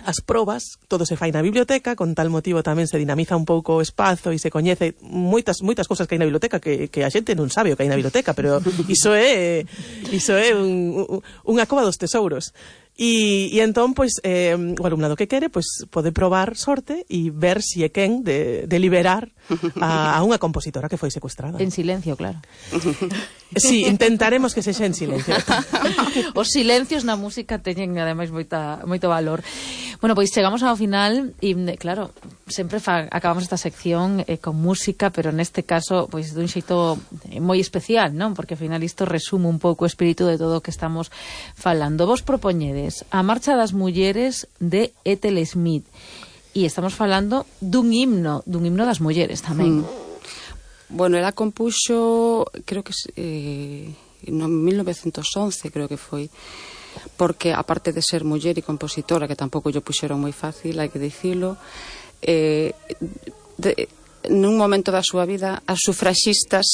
as probas. Todo se fai na biblioteca, con tal motivo tamén se dinamiza un pouco o espazo e se coñece moitas cousas que hai na biblioteca que a xente non sabe o que hai na biblioteca, pero iso é unha cova dos tesouros. E entón, pois, o alumnado que quere, pois, pode probar sorte e ver si é quen de liberar a unha compositora que foi secuestrada. En silencio, claro. Sí, intentaremos que sexa en silencio. Os silencios na música teñen, ademais, moito valor. Bueno, pois chegamos ao final e, claro, sempre acabamos esta sección con música, pero neste caso, pois, dun xeito moi especial, non? Porque, ao final, isto resume un pouco o espírito de todo o que estamos falando. Vos propoñedes A Marcha das Mulleres de Ethel Smith, e estamos falando dun himno das mulleres tamén. Bueno, ela compuxo, creo que no 1911, creo que foi, porque aparte de ser muller e compositora, que tampouco lle puxeron moi fácil, hai que dicilo, nun momento da súa vida as sufraxistas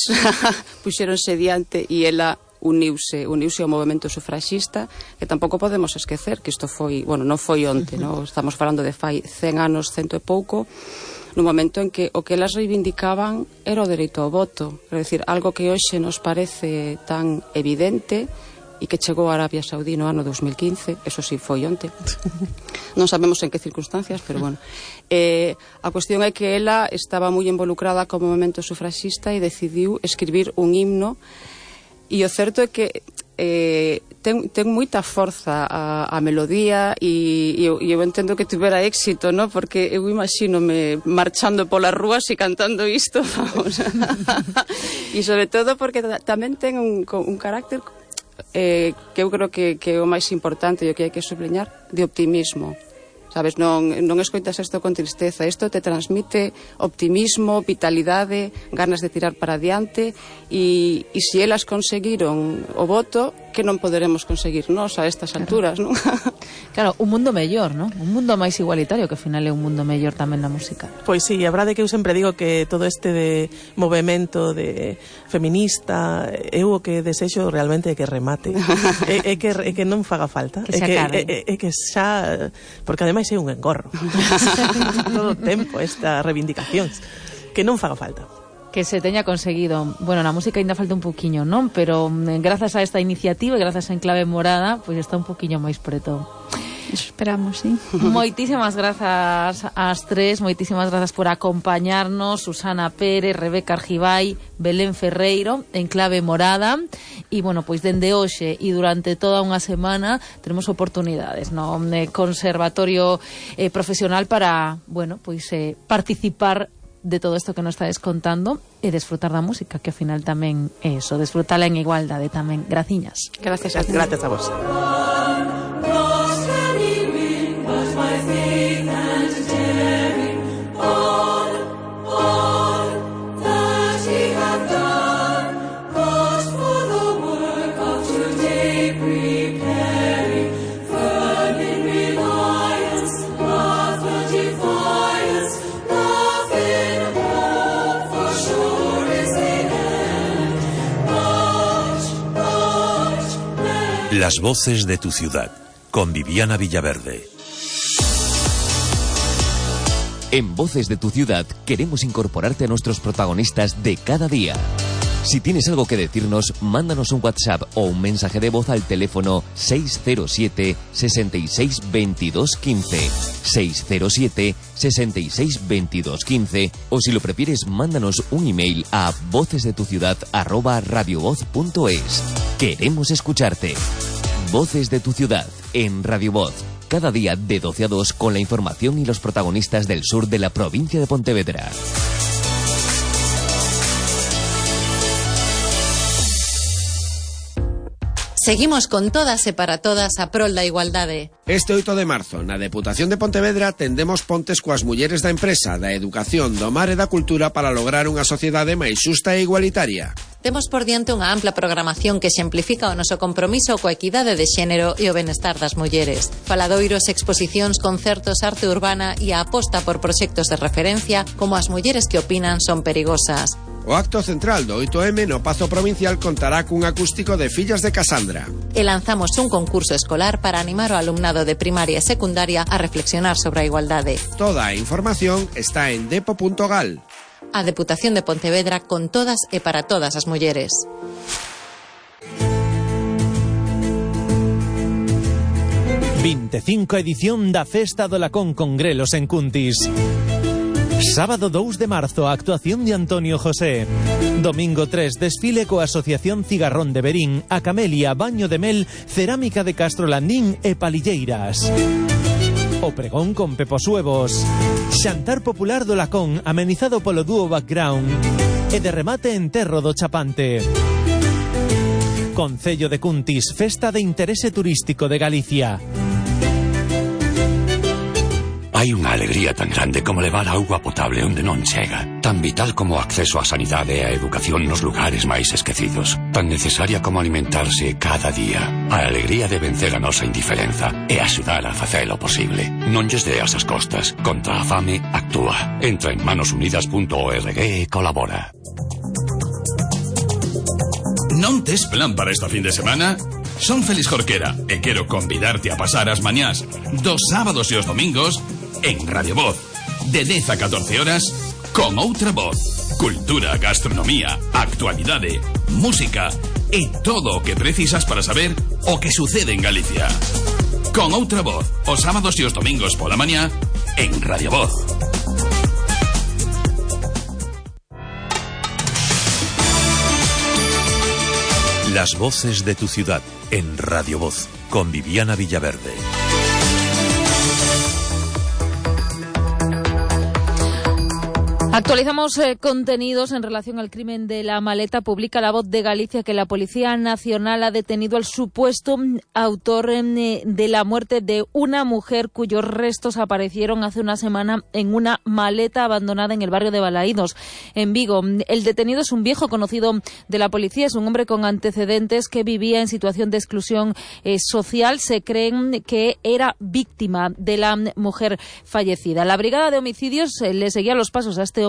puxeronse diante e ela uniuse ao movemento sufraxista, que tampouco podemos esquecer que isto foi, bueno, non foi onte, no? Estamos falando de fai 100 anos, 100 e pouco, no momento en que o que elas reivindicaban era o dereito ao voto, é dicir, algo que hoxe nos parece tan evidente e que chegou a Arabia Saudí no ano 2015, eso sí foi onte. Non sabemos en que circunstancias, pero bueno. A cuestión é que ela estaba moi involucrada co movemento sufraxista e decidiu escribir un himno. E o certo é que ten moita forza a melodía e eu entendo que tuvera éxito, ¿no? Porque eu imagínome marchando polas rúas e cantando isto, vamos. E sobre todo porque tamén ten un carácter que eu creo que é o máis importante e o que hai que sublinhar, de optimismo. sabes, non escoitas isto con tristeza, isto te transmite optimismo, vitalidade, ganas de tirar para adiante, e se elas conseguiron o voto, que non poderemos conseguir nós a estas alturas, non? Claro, un mundo mellor, non? Un mundo máis igualitario, que ao final é un mundo mellor tamén na música. Pois sí, a verdade é que eu sempre digo que todo este de movemento de feminista, eu o que desexo realmente é que remate. é que non faga falta. Que se acabe. É que xa... Porque ademais é un engorro. Todo o tempo estas reivindicacións. Que non faga falta. Que se teña conseguido. Bueno, na música ainda falta un poquiño, non? Pero grazas a esta iniciativa e grazas a Enclave Morada, pois está un poquiño máis preto. Eso esperamos, sí. Moitísimas grazas ás tres, moitísimas grazas por acompañarnos, Susana Pérez, Rebeca Argibay, Belén Ferreiro, Enclave Morada. E, bueno, pois dende hoxe e durante toda unha semana teremos oportunidades no Conservatorio Profesional para, bueno, pois participar de todo isto que nos estades contando e desfrutar da música, que ao final tamén é eso, desfrutala en igualdade tamén. Graciñas. Gracias a vos. Las voces de tu ciudad, con Viviana Villaverde. En Voces de tu Ciudad queremos incorporarte a nuestros protagonistas de cada día. Si tienes algo que decirnos, mándanos un WhatsApp o un mensaje de voz al teléfono 607 66 22 15, 607 66 22 15, o si lo prefieres, mándanos un email a vocesdetuciudad@radiovoz.es. Queremos escucharte. Voces de tu Ciudad en Radio Voz. Cada día de 12 a 2 con la información y los protagonistas del sur de la provincia de Pontevedra. Seguimos con todas e para todas a prol da igualdade. Este 8 de marzo, na Deputación de Pontevedra, tendemos pontes coas mulleres da empresa, da educación, do mar e da cultura para lograr unha sociedade máis xusta e igualitaria. Temos por diante unha ampla programación que exemplifica o noso compromiso coa equidade de xénero e o benestar das mulleres. Faladoiros, exposicións, concertos, arte urbana e a aposta por proxectos de referencia como as mulleres que opinan son perigosas. O acto central do 8M no Pazo Provincial contará cun acústico de Fillas de Casandra. E lanzamos un concurso escolar para animar o alumnado de primaria e secundaria a reflexionar sobre a igualdade. Toda a información está en depo.gal. A Deputación de Pontevedra con todas e para todas as mulleres. ª edición da Festa do Lacón con grelos en Cuntis. Sábado 2 de marzo, actuación de Antonio José. Domingo 3, desfile coa Asociación Cigarrón de Berín, a Camelia, Baño de Mel, Cerámica de Castro Landín e Palilleiras. O pregón con Pepo Suevos. Xantar popular do Lacón, amenizado polo dúo Background. E de remate enterro do Chapante. Concello de Cuntis, festa de interese turístico de Galicia. Hai unha alegría tan grande como levar auga potable onde non chega, tan vital como o acceso á sanidade e á educación nos lugares máis esquecidos, tan necesaria como alimentarse cada día. A alegría de vencer a nosa indiferenza e axudar a facelo posible. Non lles deas as costas. Contra a fame, actúa. Entra en manosunidas.org e colabora. Non tes plan para esta fin de semana? Son Félix Jorquera e quero convidarte a pasar as mañás dos sábados e os domingos en Radio Voz, de 10 a 14 horas, con outra voz. Cultura, gastronomía, actualidade, música e todo o que precisas para saber o que sucede en Galicia. Con outra voz, os sábados e os domingos pola mañá en Radio Voz. Las voces de tu ciudad en Radio Voz, con Viviana Villaverde. Actualizamos contenidos en relación al crimen de la maleta. Publica La Voz de Galicia que la Policía Nacional ha detenido al supuesto autor de la muerte de una mujer cuyos restos aparecieron hace una semana en una maleta abandonada en el barrio de Balaídos, en Vigo. El detenido es un viejo conocido de la policía, es un hombre con antecedentes que vivía en situación de exclusión social. Se creen que era víctima de la mujer fallecida. La Brigada de Homicidios le seguía los pasos a este hombre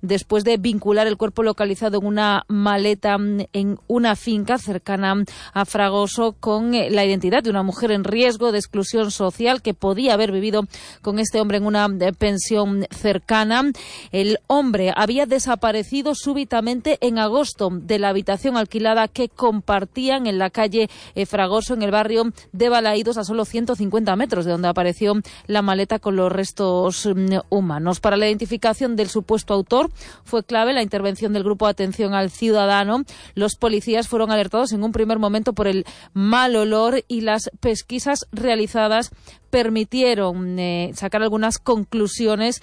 después de vincular el cuerpo localizado en una maleta en una finca cercana a Fragoso con la identidad de una mujer en riesgo de exclusión social que podía haber vivido con este hombre en una pensión cercana. El hombre había desaparecido súbitamente en agosto de la habitación alquilada que compartían en la calle Fragoso, en el barrio de Balaídos, a solo 150 metros de donde apareció la maleta con los restos humanos. Para la identificación del supuesto autor fue clave la intervención del Grupo de Atención al Ciudadano. Los policías fueron alertados en un primer momento por el mal olor y las pesquisas realizadas permitieron sacar algunas conclusiones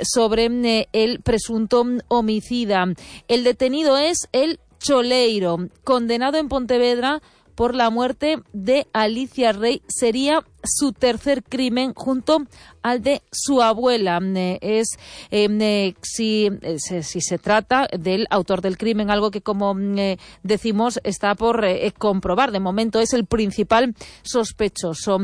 sobre el presunto homicida. El detenido es el Choleiro, condenado en Pontevedra por la muerte de Alicia Rey. Sería su tercer crimen junto al de su abuela. Si se trata del autor del crimen, algo que, como decimos, está por comprobar. De momento es el principal sospechoso.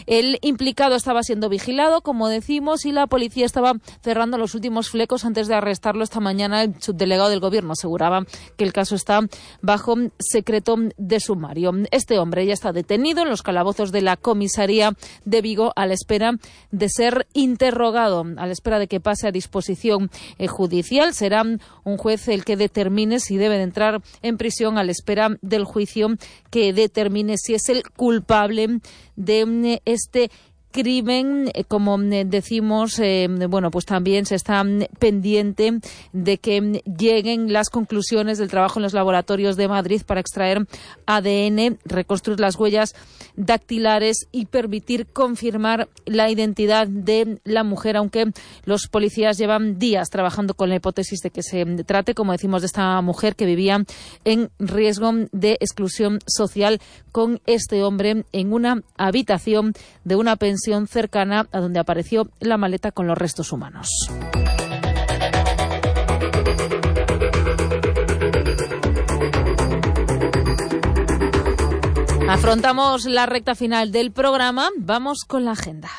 El implicado estaba siendo vigilado, como decimos, y la policía estaba cerrando los últimos flecos antes de arrestarlo. Esta mañana el subdelegado del Gobierno aseguraba que el caso está bajo secreto de sumario. Este hombre ya está detenido en los calabozos de la comisaría de Vigo a la espera de ser interrogado, a la espera de que pase a disposición judicial. Será un juez el que determine si debe de entrar en prisión a la espera del juicio que determine si es el culpable de este crimen. Como decimos, pues también se está pendiente de que lleguen las conclusiones del trabajo en los laboratorios de Madrid para extraer ADN, reconstruir las huellas dactilares y permitir confirmar la identidad de la mujer, aunque los policías llevan días trabajando con la hipótesis de que se trate, como decimos, de esta mujer que vivía en riesgo de exclusión social con este hombre en una habitación de una pensión cercana a donde apareció la maleta con los restos humanos. Afrontamos la recta final del programa. Vamos con la agenda.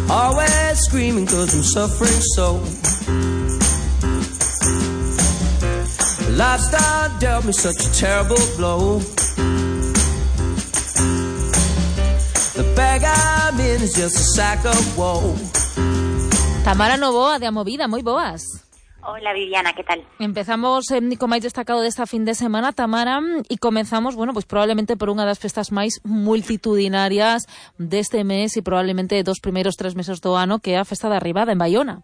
Always screaming 'cause I'm suffering so. Lifestyle dealt me such a terrible blow. The bag I'm in is just a sack of woe. Tamara Novoa, de Amovida, moi boas. Hola Viviana, ¿qué tal? Empezamos co máis destacado desta fin de semana, Tamara, e comenzamos, pues probablemente por unha das festas máis multitudinarias deste mes e probablemente dos primeiros 3 meses do ano, que é a Festa da Arribada en Baiona.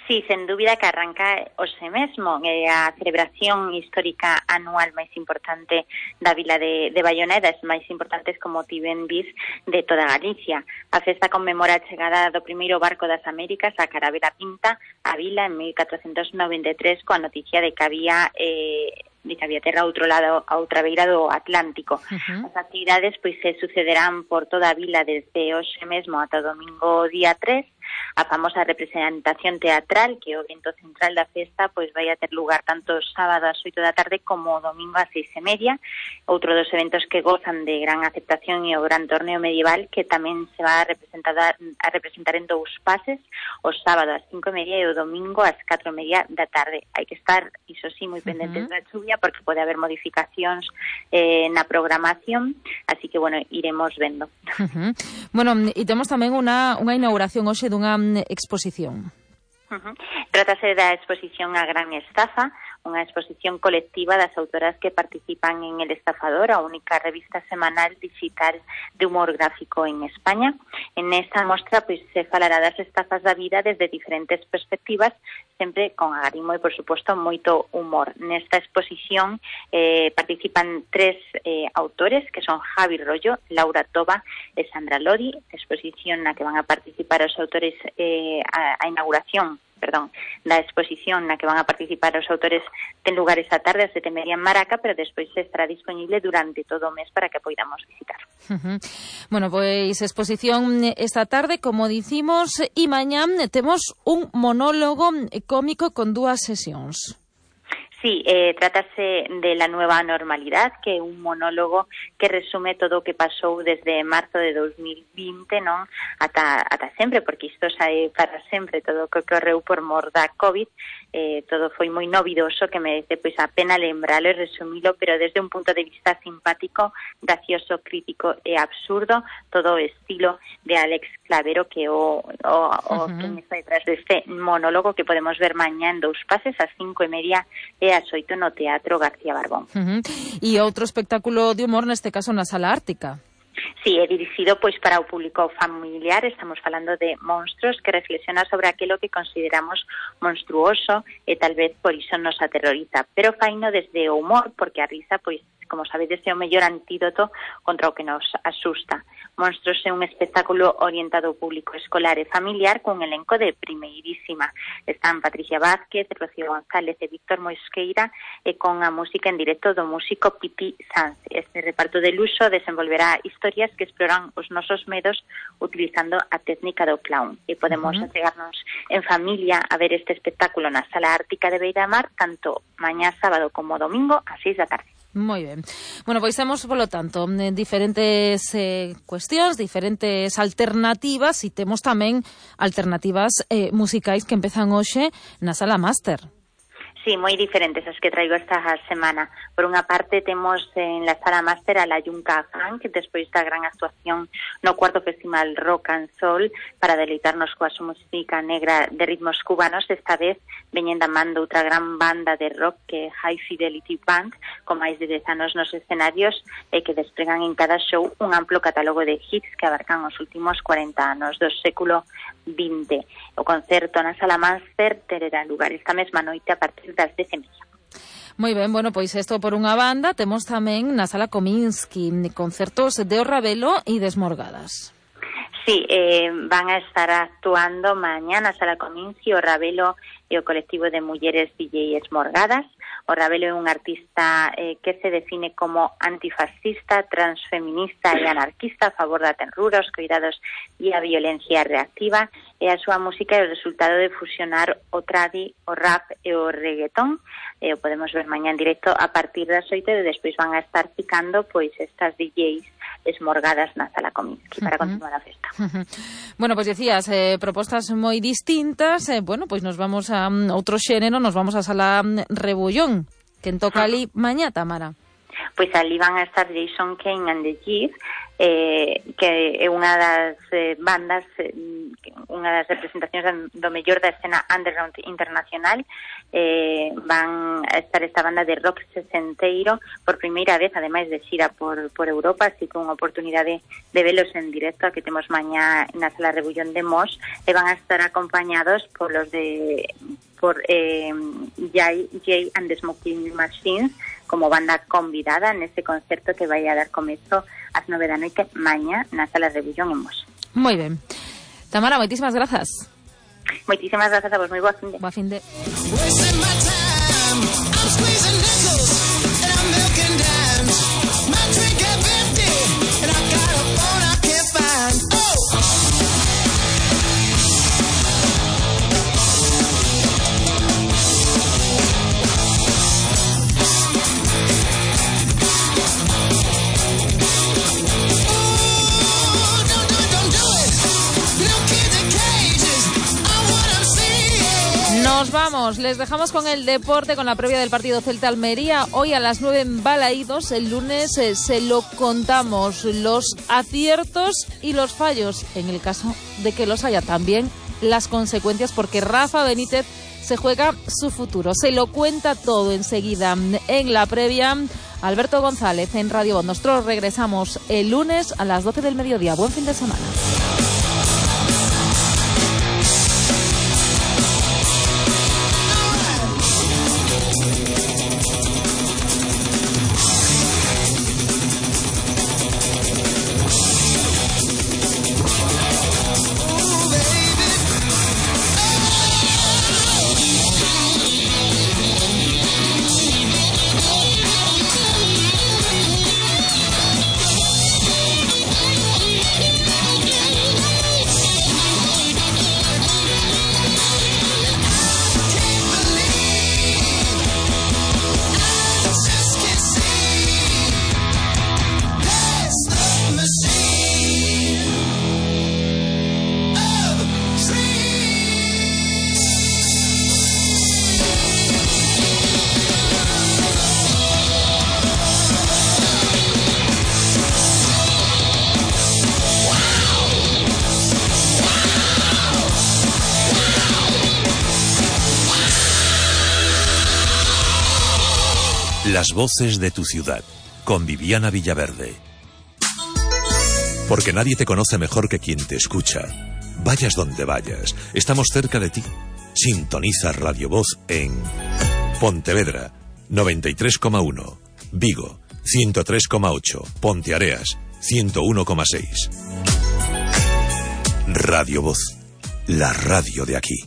Sí, sen dúbida que arranca hoxe mesmo a celebración histórica anual máis importante da vila de Baiona e das máis importantes, como ti ben vis, de toda Galicia. A festa conmemora a chegada do primeiro barco das Américas, a Carabela Pinta, a vila en 1493, coa noticia de que había terra a outra beira do Atlántico. As actividades se sucederán por toda a vila desde hoxe mesmo ata o domingo día 3. A famosa representación teatral, que o evento central da festa, vai a ter lugar tanto sábado ás 8 da tarde como domingo ás 6:30. Outro dos eventos que gozan de gran aceptación é o gran torneo medieval, que tamén se va a representar en 2 pases, o sábado ás 5:30 e o domingo ás 4:30 da tarde. Hai que estar, iso sí, moi pendentes da chuvia, porque pode haber modificacións na programación, así que, iremos vendo. E temos tamén unha inauguración hoxe dunha exposición. Trátase da exposición A Gran Estafa, unha exposición colectiva das autoras que participan en El Estafador, a única revista semanal digital de humor gráfico en España. En esta mostra pois se falará das estafas da vida desde diferentes perspectivas, sempre con agarimo e, por suposto, moito humor. Nesta exposición participan 3 autores, que son Javi Rollo, Laura Toba e Sandra Lodi, exposición na que van a participar os autores a inauguración da exposición na que van a participar os autores ten lugar esta tarde a 7:30 en Maraca, pero despois estará disponible durante todo o mes para que poidamos visitar. Bueno, pois exposición esta tarde, como dicimos, e mañá temos un monólogo cómico con 2 sesións. Sí, trátase de La nueva normalidad, que é un monólogo que resume todo o que pasou desde marzo de 2020, non? Ata sempre, porque isto xa é para sempre, todo o que ocorreu por mor da COVID, todo foi moi novidoso, que merece pois a pena lembralo e resumilo, pero desde un punto de vista simpático, gracioso, crítico e absurdo, todo o estilo de Alex Clavero, que que está detrás deste monólogo que podemos ver mañá en 2 pases, ás 5:30 e ás 8 no Teatro García Barbón. E outro espectáculo de humor, neste caso na Sala Ártica. Sí, é dirixido pois para o público familiar. Estamos falando de Monstros, que reflexiona sobre aquilo que consideramos monstruoso e tal vez por iso nos aterroriza, pero faino desde o humor, porque a risa, pois, como sabedes, é o mellor antídoto contra o que nos asusta. Monstros é un espectáculo orientado ao público escolar e familiar cun elenco de primeirísima. Están Patricia Vázquez, Rocío González e Víctor Mosqueira, e con a música en directo do músico Pipi Sanz. Este reparto de luxo desenvolverá historias que exploran os nosos medos utilizando a técnica do clown. E podemos achegarnos en familia a ver este espectáculo na Sala Ártica de Beira-Mar, tanto mañá sábado como domingo a 6 da tarde. Moi ben. Bueno, pois temos, polo tanto, diferentes cuestións, diferentes alternativas, e temos tamén alternativas musicais que empezan hoxe na Sala Máster. Sí, moi diferentes as que traigo esta semana. Por unha parte, temos en la Sala Máster a la Yunca Funk, despois da gran actuación no 4º Festival Rock and Soul, para deleitarnos coa súa música negra de ritmos cubanos. Esta vez veñen da man outra gran banda de rock, que é High Fidelity Band, con máis de 10 anos nos escenarios, e que despregan en cada show un amplo catálogo de hits que abarcan os últimos 40 anos do século XX. O concerto na Sala Máster terá lugar esta mesma noite a partir das 10:30. Moi ben, bueno, pois isto por unha banda. Temos tamén na Sala Kominsky concertos de O Ravelo e Desmorgadas. Sí, van a estar actuando mañá na Sala Kominsky O Ravelo e o colectivo de mulleres DJ Esmorgadas. O Ravelo é un artista que se define como antifascista, transfeminista e anarquista a favor da tenrura, os cuidados e a violencia reactiva, e a súa música é o resultado de fusionar o tradi, o rap e o reggaetón. O podemos ver mañá en directo a partir das 8, e despois van a estar picando pois estas DJs Esmorgadas na Sala Kominsky para continuar a festa. Bueno, pois decías, propostas moi distintas. Bueno, pois nos vamos a outro xénero, nos vamos a Sala Rebullón. Quen toca ali mañá, Tamara? Pois ali van a estar Jason Kane and the Jeep, que é unha das bandas, unha das representacións do mellor da escena underground internacional. Van a estar esta banda de rock sesenteiro por primeira vez, ademais de xira por Europa, así que unha oportunidade de velos en directo, a que temos mañá na Sala Rebullón de Mos, e van a estar acompañados por Jay and the Smoking Machines como banda convidada nese concerto que vai a dar comezo ás 9 da noite mañá na Sala Rebullón en Mos. Moi ben. Tamara, moitísimas grazas. Moitísimas grazas a vos, moi boa finde. Boa finde. Nos vamos, les dejamos con el deporte, con la previa del partido Celta-Almería. Hoy a las 9 en Balaídos, el lunes se lo contamos, los aciertos y los fallos, en el caso de que los haya, también las consecuencias, porque Rafa Benítez se juega su futuro. Se lo cuenta todo enseguida en la previa Alberto González en Radio Voz. Nosotros regresamos el lunes a las 12 del mediodía. Buen fin de semana. Las voces de tu ciudad, con Viviana Villaverde. Porque nadie te conoce mejor que quien te escucha. Vayas donde vayas, estamos cerca de ti. Sintoniza Radio Voz en Pontevedra, 93,1, Vigo, 103,8, Ponteareas, 101,6. Radio Voz, la radio de aquí.